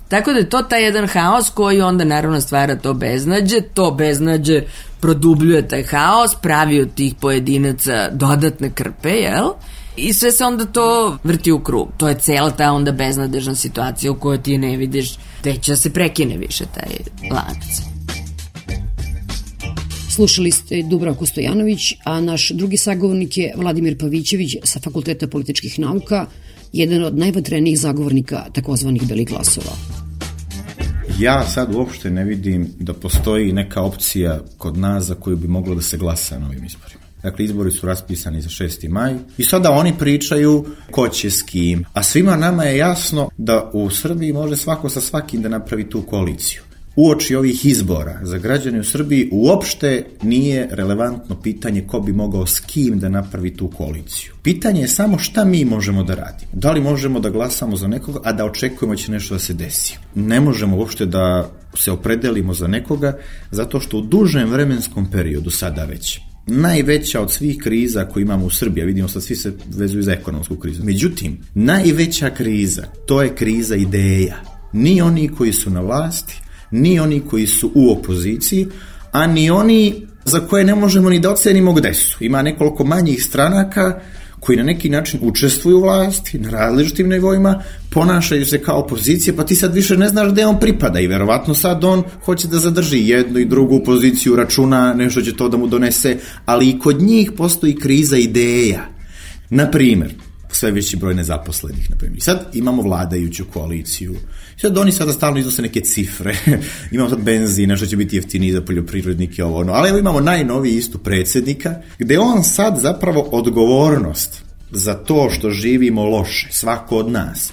Tako da je to taj jedan haos koji onda naravno stvara to beznađe, to beznađe produbljuje taj haos, pravi od tih pojedinaca dodatne krpe, jel? I sve se onda to vrti u krug. To je cela ta onda beznadežna situacija u kojoj ti ne vidiš gde će se prekine više taj lanac.
Slušali ste Dubravku Stojanović, a naš drugi sagovornik je Vladimir Pavićević sa Fakulteta političkih nauka, jedan od najvatrenijih zagovornika takozvanih belih glasova.
Ja sad uopšte ne vidim da postoji neka opcija kod nas za koju bi moglo da se glasa na ovim izborima. Dakle, izbori su raspisani za šesti maj i sada oni pričaju ko će s kim, a svima nama je jasno da u Srbiji može svako sa svakim da napravi tu koaliciju. Uoči ovih izbora za građane u Srbiji uopšte nije relevantno pitanje ko bi mogao s kim da napravi tu koaliciju. Pitanje je samo šta mi možemo da radimo. Da li možemo da glasamo za nekoga, a da očekujemo će nešto da se desi. Ne možemo uopšte da se opredelimo za nekoga, zato što u dužem vremenskom periodu sada već najveća od svih kriza koje imamo u Srbiji, vidimo sad svi se vezuju za ekonomsku krizu. Međutim, najveća kriza, to je kriza ideja. Ni oni koji su na vlasti, ni oni koji su u opoziciji, a ni oni za koje ne možemo ni da ocenimo gde su. Ima nekoliko manjih stranaka koji na neki način učestvuju u vlasti, na različitim nivoima, ponašaju se kao opozicija, pa ti sad više ne znaš gde on pripada i verovatno sad on hoće da zadrži jednu i drugu poziciju, računa, nešto će to da mu donese, ali i kod njih postoji kriza ideja. Na primjer, sve veći broj nezaposlenih, na primjer. Sad imamo vladajuću koaliciju. Sad oni sada stalno iznose neke cifre. Imamo sad benzin, nešto će biti jeftiniji za poljoprivrednike, ovo ono. Ali evo imamo najnoviji istu predsjednika, gde on sad zapravo odgovornost za to što živimo loše, svako od nas,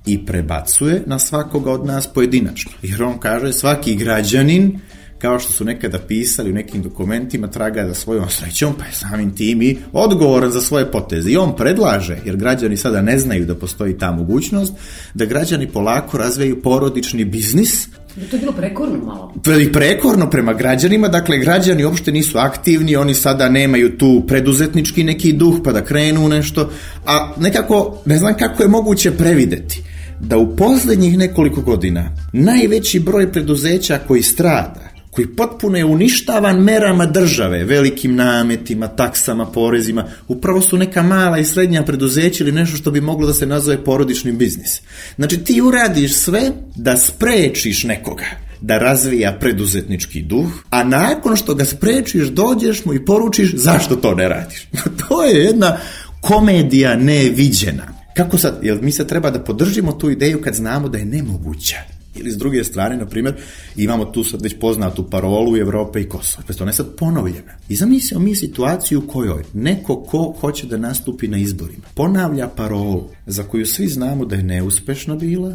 i prebacuje na svakoga od nas pojedinačno. Jer on kaže svaki građanin, kao što su nekada pisali u nekim dokumentima, traga za svojom srećom, pa je samim tim i odgovoran za svoje poteze. I on predlaže, jer građani sada ne znaju da postoji ta mogućnost, da građani polako razvijaju porodični biznis.
To je bilo prekorno malo.
Prekorno prema građanima, dakle građani uopšte nisu aktivni, oni sada nemaju tu preduzetnički neki duh pa da krenu nešto, a nekako, ne znam kako je moguće prevideti da u posljednjih nekoliko godina najveći broj preduzeća koji strada, koji potpuno je uništavan merama države, velikim nametima, taksama, porezima, upravo su neka mala i srednja preduzeća ili nešto što bi moglo da se nazove porodični biznis. Znači ti uradiš sve da sprečiš nekoga da razvija preduzetnički duh, a nakon što ga sprečiš dođeš mu i poručiš zašto to ne radiš. To je jedna komedija neviđena. Kako sad, jel mi sad treba da podržimo tu ideju kad znamo da je nemoguća? Ili s druge strane, na primjer, imamo tu sad već poznatu parolu Evrope i Kosova. Pa ona je sad ponovljena. I zamislimo mi situaciju u kojoj neko ko hoće da nastupi na izborima ponavlja parolu za koju svi znamo da je neuspešna bila,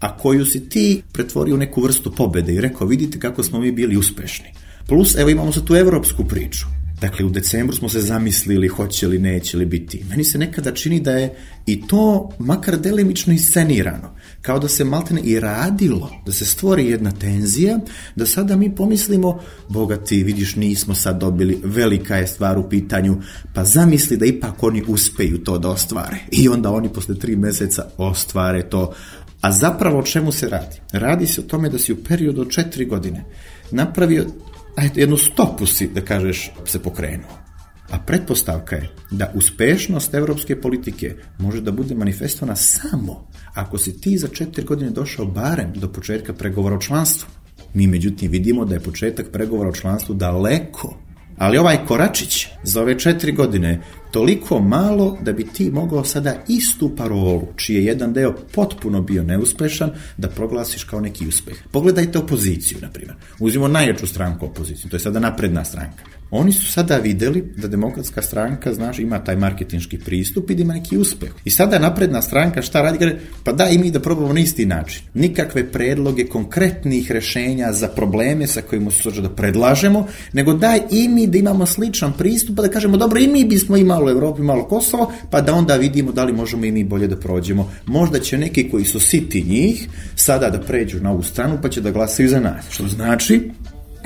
a koju si ti pretvorio u neku vrstu pobede i rekao vidite kako smo mi bili uspešni. Plus, evo imamo sad tu evropsku priču. Dakle, u decembru smo se zamislili hoće li, neće li biti. Meni se nekada čini da je i to makar delimično iscenirano. kao da se maltene i radilo, da se stvori jedna tenzija, da sada mi pomislimo, Boga ti, vidiš, nismo sad dobili, velika je stvar u pitanju, pa zamisli da ipak oni uspeju to da ostvare. I onda oni posle tri meseca ostvare to. A zapravo o čemu se radi? Radi se o tome da si u periodu od četiri godine napravio ajde, jednu stopu si, da kažeš, se pokrenuo. A pretpostavka je da uspešnost evropske politike može da bude manifestovana samo ako si ti za četiri godine došao barem do početka pregovora o članstvu. Mi međutim vidimo da je početak pregovora o članstvu daleko, ali ovaj koračić za ove četiri godine toliko malo da bi ti mogao sada istu parolu, čiji je jedan deo potpuno bio neuspešan, da proglasiš kao neki uspeh. Pogledajte opoziciju, na primjer. Uzmimo najjaču stranku opoziciju, to je sada napredna stranka. Oni su sada videli da demokratska stranka, znaš, ima taj marketinški pristup i da ima neki uspeh. I sada napredna stranka šta radi? Kaže, pa daj i mi da probamo na isti način. Nikakve predloge konkretnih rešenja za probleme sa kojima su da predlažemo, nego daj i mi da imamo sličan pristup, pa da kažemo, dobro, i mi bismo imali u Evropi, malo Kosovo, pa da onda vidimo da li možemo i mi bolje da prođemo. Možda će neki koji su siti njih sada da pređu na ovu stranu, pa će da glasaju za nas. Što znači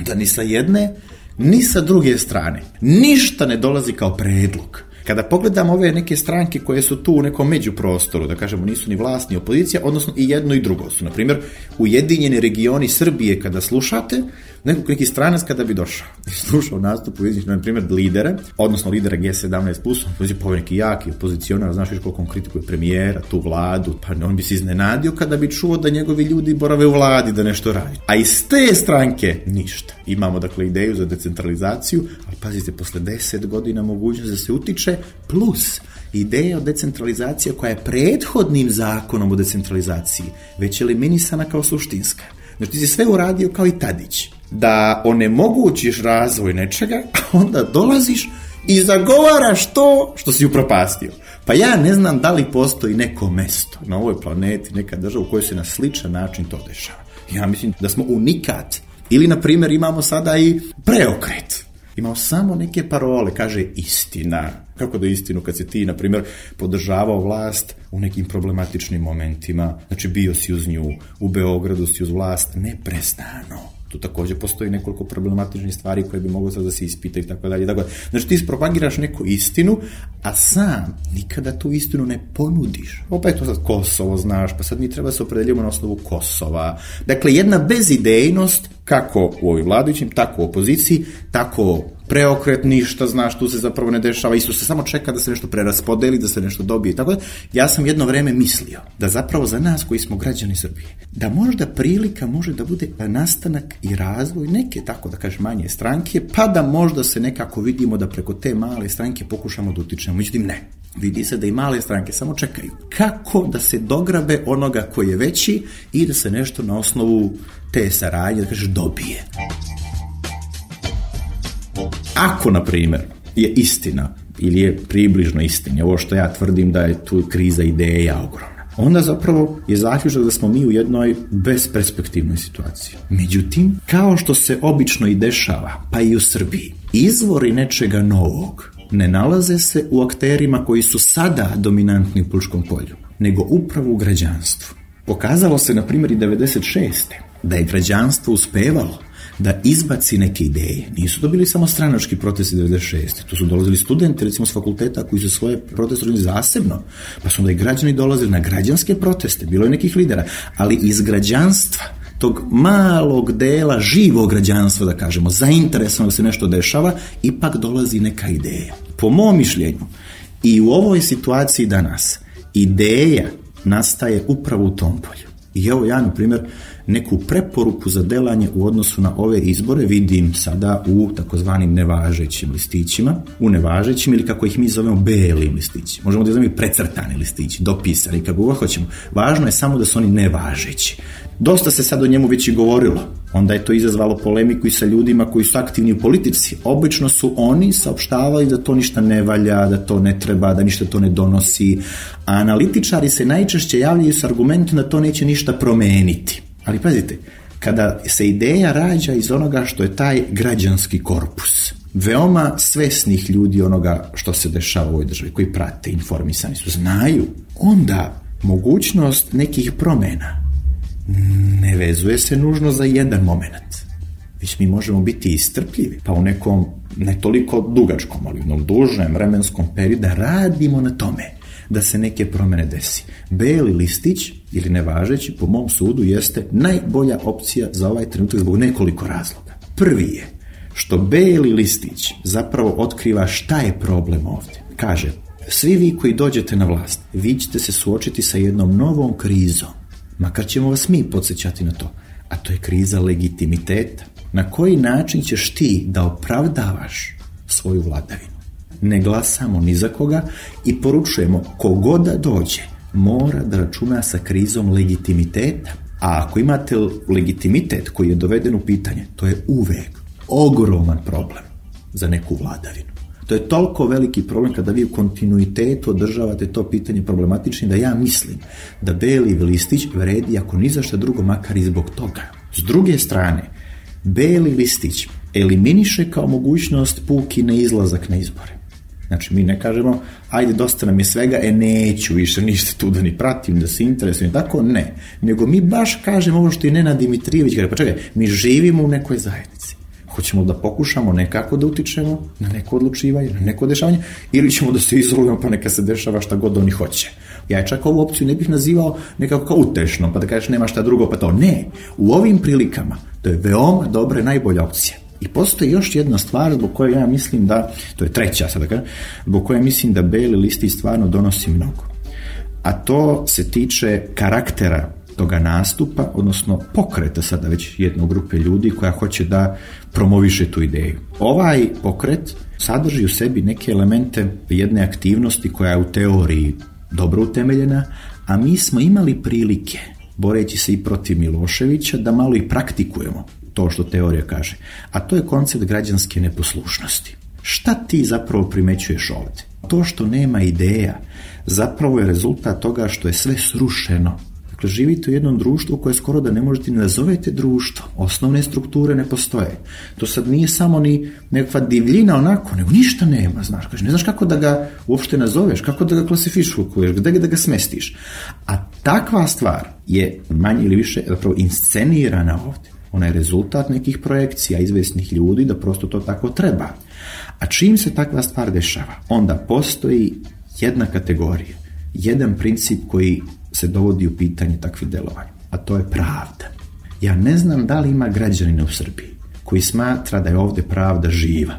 da ni sa jedne ni sa druge strane ništa ne dolazi kao predlog. Kada pogledamo ove neke stranke koje su tu u nekom međuprostoru, da kažemo nisu ni vlast ni opozicija, odnosno i jedno i drugo su. Naprimjer, Ujedinjeni regioni Srbije kada slušate, nekog neki stranac kada bi došao i slušao nastup Ujedinjenih, na primjer, lidera, odnosno lidera G sedamnaest plus, on je povijek neki jaki opozicionar, znaš viš koliko on kritikuje premijera, tu vladu, pa on bi se iznenadio kada bi čuo da njegovi ljudi borave u vladi da nešto radi. A iz te stranke ništa. Imamo dakle ideju za decentralizaciju, ali pazite, posle deset godina mogućnost da se utiče, plus ideja o decentralizaciji koja je prethodnim zakonom o decentralizaciji već eliminisana kao suštinska. Znači ti si sve uradio kao i Tadić, da onemogućiš razvoj nečega, a onda dolaziš i zagovaraš to što si upropastio. Pa ja ne znam da li postoji neko mesto na ovoj planeti, neka država u kojoj se na sličan način to dešava. Ja mislim da smo unikat. Ili, na primjer, imamo sada i preokret. Imao samo neke parole, kaže istina. Kako da istinu kad si ti, na primjer, podržavao vlast u nekim problematičnim momentima, znači bio si uz nju, u Beogradu si uz vlast neprestano. Tu također postoji nekoliko problematičnih stvari koje bi moglo sad da se ispita i tako dalje. Znači ti propagiraš neku istinu, a sam nikada tu istinu ne ponudiš. Opet to sad Kosovo, znaš, pa sad mi treba se opredeljimo na osnovu Kosova. Dakle, jedna bezidejnost, kako u ovoj vladajućim, tako u opoziciji, tako preokret, ništa, znaš, tu se zapravo ne dešava, isto se samo čeka da se nešto preraspodeli, da se nešto dobije. Tako da, ja sam jedno vreme mislio da zapravo za nas koji smo građani Srbije, da možda prilika može da bude nastanak i razvoj neke, tako da kažem, manje stranke, pa da možda se nekako vidimo da preko te male stranke pokušamo da utičemo. Međutim, ne. Vidi se da i male stranke samo čekaju kako da se dograbe onoga koji je veći i da se nešto na osnovu te saradnje, da kažeš, dobije. Ako, na primjer, je istina ili je približno istina, ovo što ja tvrdim da je tu kriza ideja ogromna, onda zapravo je zaključak da smo mi u jednoj besperspektivnoj situaciji. Međutim, kao što se obično i dešava, pa i u Srbiji, izvori nečega novog ne nalaze se u akterima koji su sada dominantni u političkom polju, nego upravo u građanstvu. Pokazalo se, na primjer, i devedeset šeste da je građanstvo uspevalo da izbaci neke ideje. Nisu dobili samo stranački protesti devedeset šeste. Tu su dolazili studenti, recimo s fakulteta, koji su svoje proteste rodili zasebno. Pa su onda i građani dolazili na građanske proteste. Bilo je nekih lidera. Ali iz građanstva, tog malog dela živog građanstva, da kažemo, zainteresovano da se nešto dešava, ipak dolazi neka ideja. Po mom mišljenju, i u ovoj situaciji danas, ideja nastaje upravo u tom polju. I evo ja, na primjer, neku preporuku za delanje u odnosu na ove izbore vidim sada u takozvanim nevažećim listićima, u nevažećim ili kako ih mi zovemo belim listići. Možemo da zovemo i precrtani listići, dopisani, kako god hoćemo. Važno je samo da su oni nevažeći. Dosta se sad o njemu već i govorilo. Onda je to izazvalo polemiku i sa ljudima koji su aktivni u politici. Obično su oni saopštavali da to ništa ne valja, da to ne treba, da ništa to ne donosi. A analitičari se najčešće javljaju s argumentom da to neće ništa promeniti. Ali pazite, kada se ideja rađa iz onoga što je taj građanski korpus, veoma svesnih ljudi onoga što se dešava u ovoj državi, koji prate, informisani su, znaju, onda mogućnost nekih promjena ne vezuje se nužno za jedan moment. Već mi možemo biti istrpljivi, pa u nekom ne toliko dugačkom, ali u dužem vremenskom periodu da radimo na tome da se neke promjene desi. Beli listić ili nevažeći, po mom sudu, jeste najbolja opcija za ovaj trenutak zbog nekoliko razloga. Prvi je što beli listić zapravo otkriva šta je problem ovdje. Kaže, svi vi koji dođete na vlast, vi ćete se suočiti sa jednom novom krizom, makar ćemo vas mi podsjećati na to, a to je kriza legitimiteta. Na koji način ćeš ti da opravdavaš svoju vladavinu? Ne glasamo ni za koga i poručujemo kogod da dođe mora da računa sa krizom legitimiteta. A ako imate legitimitet koji je doveden u pitanje, to je uvek ogroman problem za neku vladavinu. To je toliko veliki problem kada vi u kontinuitetu održavate to pitanje problematičnim da ja mislim da beli listić vredi ako ni za šta drugo, makar i zbog toga. S druge strane, beli listić eliminiše kao mogućnost puki neizlazak na izbore. Znači, mi ne kažemo, ajde, dosta nam je svega, e, neću više ništa tu da ni pratim, da se interesujem, tako ne. Nego mi baš kažemo ovo što je Nenad Dimitrijević kaže, pa čekaj, mi živimo u nekoj zajednici. Hoćemo da pokušamo nekako da utičemo na neko odlučivanje, na neko dešavanje, ili ćemo da se izolujemo pa neka se dešava šta god oni hoće. Ja čak ovu opciju ne bih nazivao nekako kao utešno, pa da kažeš nema šta drugo, pa to ne. U ovim prilikama to je veoma dobra i najbolja opcija. I postoji još jedna stvar zbog koje ja mislim da, to je treća sada kažem, zbog koje mislim da beli listić stvarno donosi mnogo. A to se tiče karaktera toga nastupa, odnosno pokreta sada već jedne grupe ljudi koja hoće da promoviše tu ideju. Ovaj pokret sadrži u sebi neke elemente jedne aktivnosti koja je u teoriji dobro utemeljena, a mi smo imali prilike, boreći se i protiv Miloševića, da malo i praktikujemo to što teorija kaže. A to je koncept građanske neposlušnosti. Šta ti zapravo primećuješ ovdje? To što nema ideja zapravo je rezultat toga što je sve srušeno. Dakle, živite u jednom društvu koje skoro da ne možete ni nazovete društvo. Osnovne strukture ne postoje. To sad nije samo ni nekakva divljina onako, nego ništa nema, znaš. Kaže, ne znaš kako da ga uopšte nazoveš, kako da ga klasifikuješ, gde da ga smestiš. A takva stvar je manje ili više zapravo inscenirana ovdje. Ona je rezultat nekih projekcija izvesnih ljudi da prosto to tako treba. A čim se takva stvar dešava, onda postoji jedna kategorija, jedan princip koji se dovodi u pitanje takvih delovanja, a to je pravda. Ja ne znam da li ima građanina u Srbiji koji smatra da je ovdje pravda živa,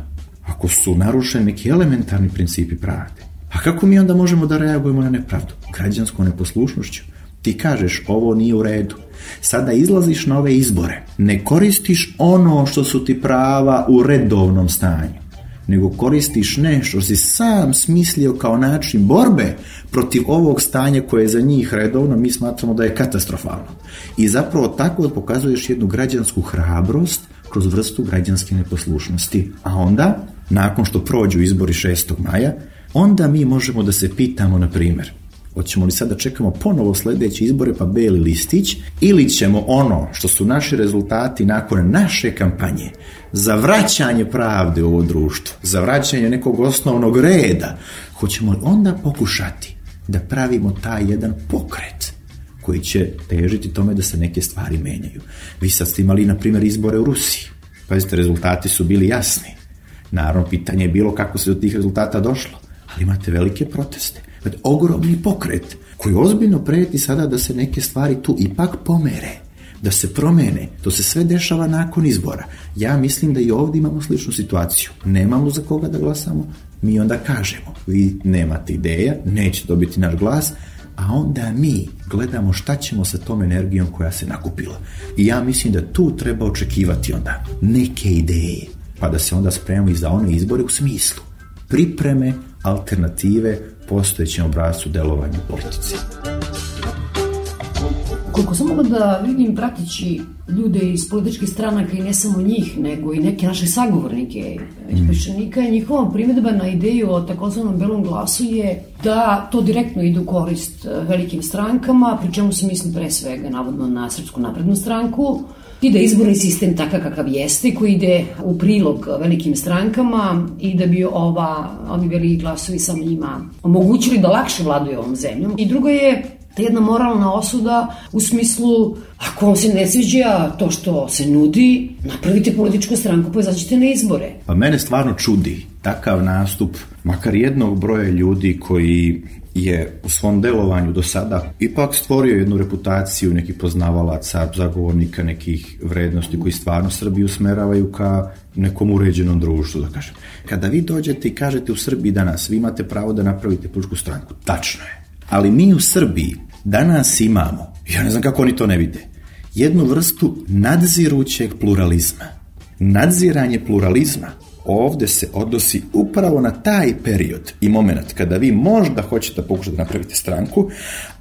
ako su narušeni neki elementarni principi pravde. A kako mi onda možemo da reagujemo na nepravdu? Građanskom neposlušnošću. Ti kažeš, ovo nije u redu. Sada izlaziš na ove izbore. Ne koristiš ono što su ti prava u redovnom stanju, nego koristiš nešto što si sam smislio kao način borbe protiv ovog stanja koje je za njih redovno, mi smatramo da je katastrofalno. I zapravo tako pokazuješ jednu građansku hrabrost kroz vrstu građanske neposlušnosti. A onda, nakon što prođu izbori šestog maja, onda mi možemo da se pitamo, na primjer, hoćemo li sad da čekamo ponovo sljedeće izbore pa beli listić, ili ćemo ono što su naši rezultati nakon naše kampanje za vraćanje pravde u ovo društvo, za vraćanje nekog osnovnog reda, hoćemo li onda pokušati da pravimo taj jedan pokret koji će težiti tome da se neke stvari menjaju. Vi sad ste imali, na primjer, izbore u Rusiji. Pazite, rezultati su bili jasni. Naravno, pitanje je bilo kako se do tih rezultata došlo, ali imate velike proteste. Ogromni pokret koji ozbiljno preti sada da se neke stvari tu ipak pomere, da se promene. To se sve dešava nakon izbora. Ja mislim da i ovdje imamo sličnu situaciju. Nemamo za koga da glasamo, mi onda kažemo, vi nemate ideja, neće dobiti naš glas, a onda mi gledamo šta ćemo sa tom energijom koja se nakupila. I ja mislim da tu treba očekivati onda neke ideje, pa da se onda spremamo i za one izbore u smislu pripreme, alternative postojećem obrascu delovanja u politici.
Koliko sam mogla da vidim pratići ljude iz političkih stranaka i ne samo njih, nego i neke naše sagovornike iz Peščanika, i njihova primjedba na ideju o takozvanom belom glasu je da to direktno ide u korist velikim strankama, pri čemu se misli pre svega navodno na Srpsku naprednu stranku, i da izborni sistem takav kakav jeste, koji ide u prilog velikim strankama i da bi ova, ovi veliki glasovi samo njima omogućili da lakše vladaju ovom zemljom. I drugo je Ta jedna moralna osuda u smislu, ako vam se ne sviđa to što se nudi, napravite političku stranku pa izađite na izbore.
Pa mene stvarno čudi takav nastup, makar jednog broja ljudi koji je u svom delovanju do sada ipak stvorio jednu reputaciju nekih poznavalaca, zagovornika nekih vrednosti koji stvarno Srbiju usmeravaju ka nekom uređenom društvu, da kažem. Kada vi dođete i kažete u Srbiji danas, vi imate pravo da napravite političku stranku, tačno je. Ali mi u Srbiji danas imamo, ja ne znam kako oni to ne vide, jednu vrstu nadzirućeg pluralizma. Nadziranje pluralizma ovde se odnosi upravo na taj period i moment kada vi možda hoćete pokušati da napravite stranku,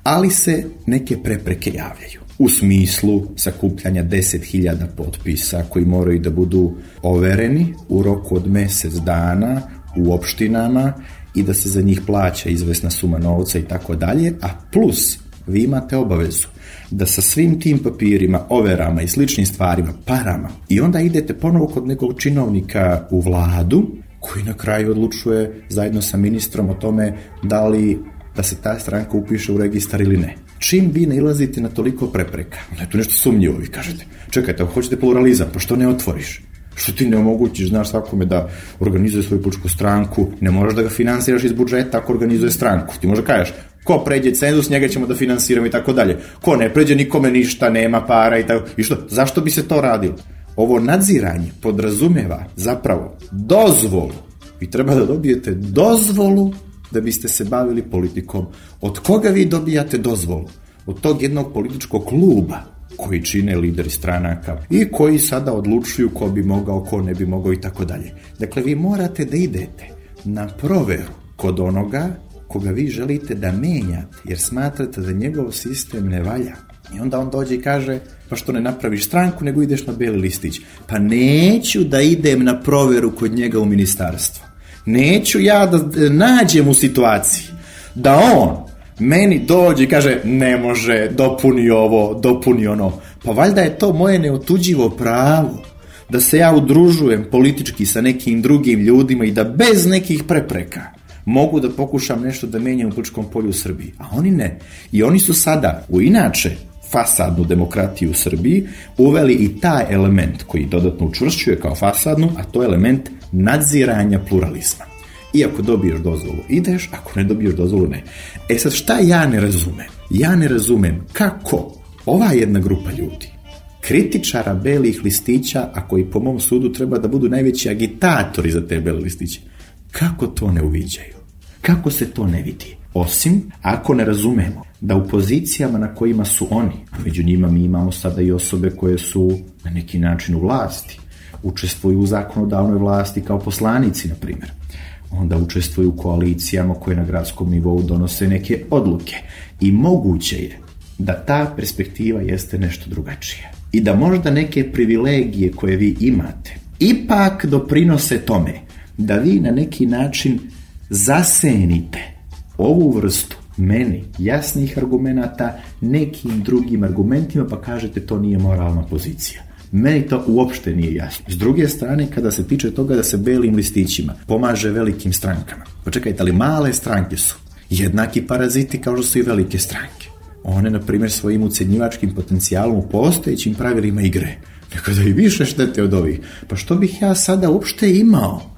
ali se neke prepreke javljaju. U smislu sakupljanja deset hiljada potpisa koji moraju da budu overeni u roku od mesec dana u opštinama i da se za njih plaća izvesna suma novca i tako dalje, a plus vi imate obavezu da sa svim tim papirima, overama i sličnim stvarima, parama, i onda idete ponovo kod nekog činovnika u vladu koji na kraju odlučuje zajedno sa ministrom o tome da li da se ta stranka upiše u registar ili ne. Čim vi nailazite na toliko prepreka, onda je tu nešto sumnjivo, vi kažete, čekajte, ako hoćete pluralizam, pa što ne otvoriš? Što ti ne omogućiš, znaš, svakome da organizuje svoju političku stranku, ne moraš da ga finansiraš iz budžeta ako organizuje stranku. Ti možda kažeš, ko pređe cenzus, njega ćemo da finansiramo i tako dalje. Ko ne pređe, nikome ništa, nema para i tako. I što? Zašto bi se to radilo? Ovo nadziranje podrazumeva zapravo dozvolu. Vi treba da dobijete dozvolu da biste se bavili politikom. Od koga vi dobijate dozvolu? Od tog jednog političkog kluba koji čine lideri stranaka i koji sada odlučuju ko bi mogao, ko ne bi mogao i tako dalje. Dakle, vi morate da idete na proveru kod onoga koga vi želite da menjate, jer smatrate da njegov sistem ne valja. I onda on dođe i kaže, pa što ne napraviš stranku, nego ideš na beli listić. Pa neću da idem na proveru kod njega u ministarstvo. Neću ja da nađem u situaciji da on meni dođe i kaže, ne može, dopuni ovo, dopuni ono. Pa valjda je to moje neotuđivo pravo da se ja udružujem politički sa nekim drugim ljudima i da bez nekih prepreka mogu da pokušam nešto da menjam u političkom polju u Srbiji. A oni ne. I oni su sada u inače fasadnu demokratiju u Srbiji uveli i taj element koji dodatno učvršćuje kao fasadnu, a to je element nadziranja pluralizma. I ako dobiješ dozvolu, ideš, ako ne dobiješ dozvolu, ne. E sad, šta ja ne razumem? Ja ne razumem kako ova jedna grupa ljudi, kritičara belih listića, a koji po mom sudu treba da budu najveći agitatori za te bele listiće, kako to ne uviđaju? Kako se to ne vidi? Osim ako ne razumemo da u pozicijama na kojima su oni, među njima mi imamo sada i osobe koje su na neki način u vlasti, učestvuju u zakonodavnoj vlasti kao poslanici, na primjer, onda učestvuju u koalicijama koje na gradskom nivou donose neke odluke. I moguće je da ta perspektiva jeste nešto drugačije. I da možda neke privilegije koje vi imate ipak doprinose tome da vi na neki način zasenite ovu vrstu meni jasnih argumenata nekim drugim argumentima, pa kažete to nije moralna pozicija. Meni to uopšte nije jasno. S druge strane, kada se tiče toga da se belim listićima pomaže velikim strankama, pa čekajte, ali male stranke su jednaki paraziti kao što su i velike stranke. One, na primjer, svojim ucenjivačkim potencijalom u postojećim pravilima igre nekada i više štete od ovih. Pa što bih ja sada uopšte imao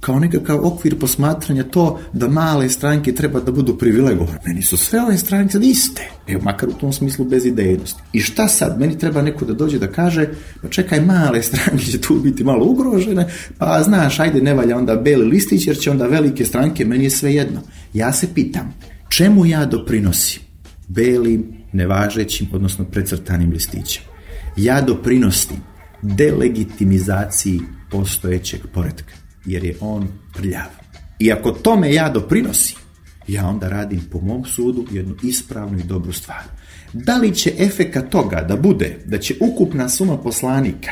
kao nekakav okvir posmatranja to da male stranke treba da budu privilegovane? Meni su sve ove stranke iste, evo, makar u tom smislu bez idejnosti. I šta sad? Meni treba neko da dođe da kaže, pa čekaj, male stranke će tu biti malo ugrožene, pa znaš, ajde, ne valja onda beli listić, jer će onda velike stranke, meni je sve jedno. Ja se pitam, čemu ja doprinosim belim, nevažećim, odnosno precrtanim listićem? Ja doprinosim delegitimizaciji postojećeg poretka, jer je on prljav. I ako tome ja doprinosim, ja onda radim po mom sudu jednu ispravnu i dobru stvar. Da li će efekat toga da bude da će ukupna suma poslanika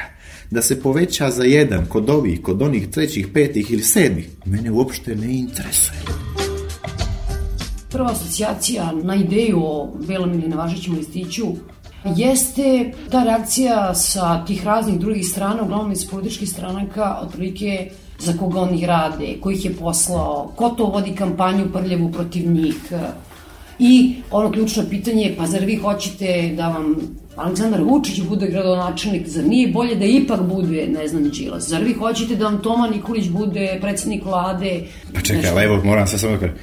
da se poveća za jedan kod ovih, kod onih trećih, petih ili sedmih, mene uopšte ne interesuje.
Prva asocijacija na ideju o belom ili nevažećem listiću jeste ta reakcija sa tih raznih drugih strana, uglavnom iz političkih stranaka, otprilike za koga oni rade, ko ih je poslao, ko to vodi kampanju prljavu protiv njih. I ono ključno pitanje je, pa zar vi hoćete da vam Aleksandar Vučić bude gradonačelnik, zar nije bolje da ipak bude, ne znam, Đilas? Zar vi hoćete da vam Toma Nikolić bude predsednik vlade?
Pa čekaj, ali evo, moram sad samo da kažem.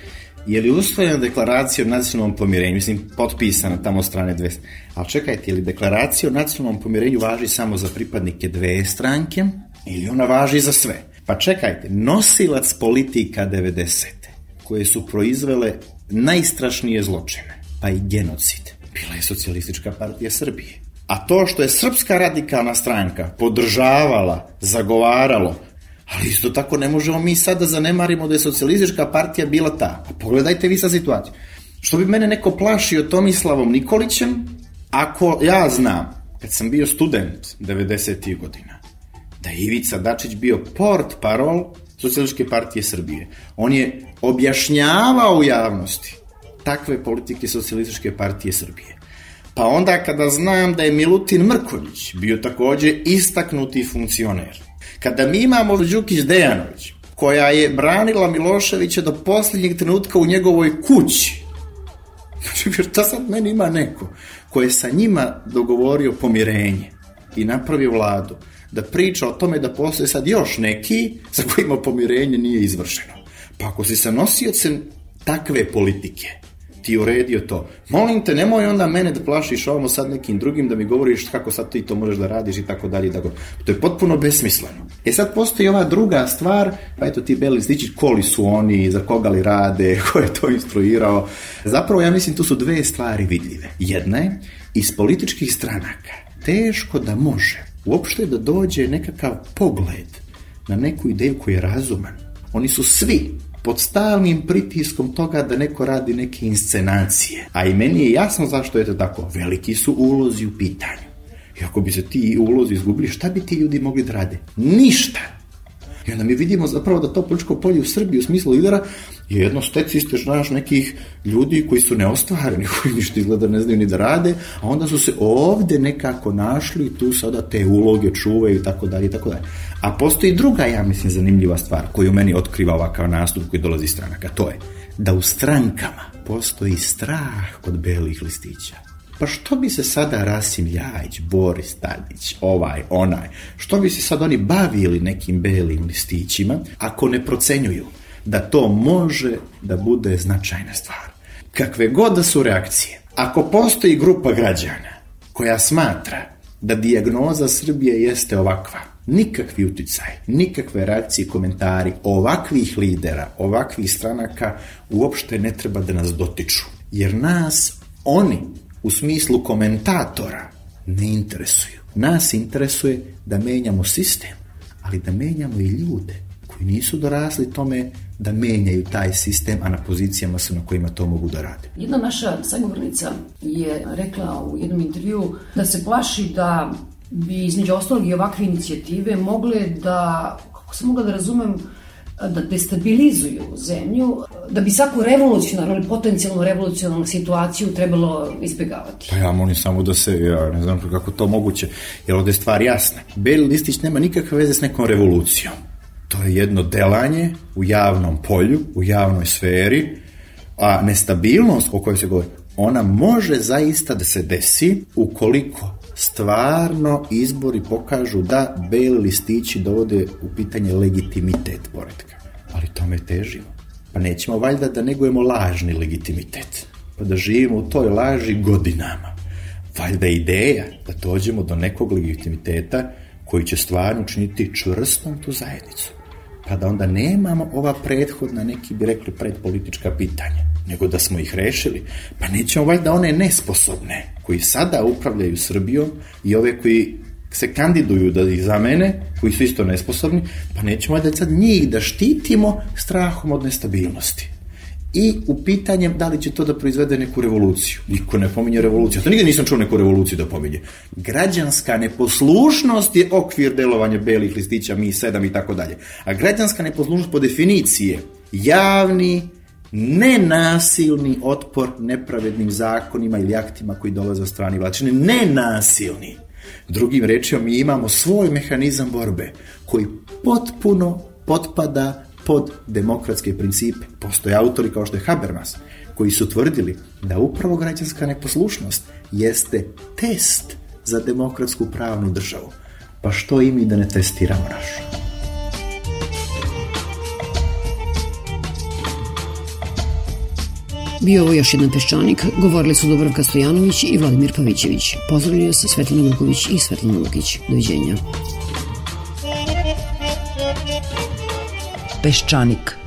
Je li usvojena deklaracija o nacionalnom pomirenju? Mislim, potpisana tamo od strane dve. Ali čekajte, je li deklaracija o nacionalnom pomirenju važi samo za pripadnike dve stranke ili ona važi za sve? Pa čekajte, nosilac politika devedesete koje su proizvele najstrašnije zločine, pa i genocid, bila je Socijalistička partija Srbije. A to što je Srpska radikalna stranka podržavala, zagovaralo, ali isto tako ne možemo mi sad da zanemarimo da je Socijalistička partija bila ta. A pogledajte vi sad situaciju. Što bi mene neko plašio Tomislavom Nikolićem, ako ja znam, kad sam bio student devedesetih godina, da je Ivica Dačić bio port parol Socijalističke partije Srbije. On je objašnjavao u javnosti takve politike Socijalističke partije Srbije. Pa onda kada znam da je Milutin Mrkonjić bio takođe istaknuti funkcioner, kada mi imamo Đukić Dejanović, koja je branila Miloševića do posljednjeg trenutka u njegovoj kući, znači šta sad meni ima neko ko je sa njima dogovorio pomirenje i napravio vladu, da priča o tome da postoje sad još neki sa kojima pomirenje nije izvršeno. Pa ako si sa nosiocem takve politike ti uredio to, molim te, nemoj onda mene da plašiš ovamo sad nekim drugim, da mi govoriš kako sad ti to možeš da radiš i tako dalje. To je potpuno besmisleno. E sad postoji ova druga stvar, pa eto ti beli listići, koli su oni, za koga li rade, ko je to instruirao. Zapravo ja mislim tu su dve stvari vidljive. Jedna je, iz političkih stranaka teško da može uopšte da dođe nekakav pogled na neku ideju koji je razuman. Oni su svi pod stalnim pritiskom toga da neko radi neke inscenacije. A i meni je jasno zašto je to tako. Veliki su ulozi u pitanju. I ako bi se ti ulozi izgubili, šta bi ti ljudi mogli da rade? Ništa. I onda mi vidimo zapravo da to političko polje u Srbiji u smislu lidera je jedno stecište, znaš, nekih ljudi koji su neostvareni, koji ništa izgleda ne znaju ni da rade, a onda su se ovde nekako našli i tu sada te uloge čuvaju i tako dalje i tako dalje. A postoji druga, ja mislim, zanimljiva stvar koju meni otkriva ovakav nastup koji dolazi iz stranaka, to je da u strankama postoji strah kod belih listića. Pa što bi se sada Rasim Ljajić, Boris Tadić, ovaj, onaj, što bi se sad oni bavili nekim belim listićima ako ne procenjuju da to može da bude značajna stvar? Kakve god da su reakcije, ako postoji grupa građana koja smatra da dijagnoza Srbije jeste ovakva, nikakvi uticaj, nikakve reakcije i komentari ovakvih lidera, ovakvih stranaka uopšte ne treba da nas dotiču. Jer nas oni u smislu komentatora ne interesuju. Nas interesuje da menjamo sistem, ali da menjamo i ljude koji nisu dorasli tome da menjaju taj sistem, a na pozicijama su na kojima to mogu da rade.
Jedna naša sagovornica je rekla u jednom intervju da se plaši da bi između ostalog i ovakve inicijative mogle da, kako sam mogla da razumem, da destabilizuju zemlju, da bi svaku revolucionarnu ili potencijalnu revolucionarnu situaciju trebalo izbjegavati.
Pa ja molim samo da se, ja ne znam kako to moguće, jer ovde je stvar jasna. Beli listić nema nikakve veze s nekom revolucijom. To je jedno delanje u javnom polju, u javnoj sferi, a nestabilnost o kojoj se govori, ona može zaista da se desi ukoliko stvarno izbori pokažu da beli listići dovode u pitanje legitimitet poretka. Ali tome težimo. Pa nećemo valjda da negujemo lažni legitimitet, pa da živimo u toj laži godinama. Valjda je ideja da dođemo do nekog legitimiteta koji će stvarno učiniti čvrstom tu zajednicu. Pa da onda nemamo ova prethodna, neki bi rekli predpolitička pitanja, nego da smo ih rešili. Pa nećemo valjda one nesposobne koji sada upravljaju Srbijom i ove koji se kandiduju da ih zamene, koji su isto nesposobni, pa nećemo valjda sad njih da štitimo strahom od nestabilnosti. I u pitanjem da li će to da proizvede neku revoluciju. Niko ne pominje revoluciju. To nigde nisam čuo neku revoluciju da pominje. Građanska neposlušnost je okvir delovanja belih listića, mi sedam i tako dalje. A građanska neposlušnost po definiciji je javni, nenasilni otpor nepravednim zakonima ili aktima koji dolaze od strane vlasti. Nenasilni. Drugim rečima, mi imamo svoj mehanizam borbe koji potpuno potpada pod demokratske principe. Postoje autori kao što je Habermas, koji su tvrdili da upravo građanska neposlušnost jeste test za demokratsku pravnu državu. Pa što i mi da ne testiramo našu?
Bio ovo još jedan Peščanik, govorili su Dubravka Stojanović i Vladimir Pavićević. Pozdravljaju se Svetlana Vuković i Svetlana Lukić. Doviđenja.
Peščanik.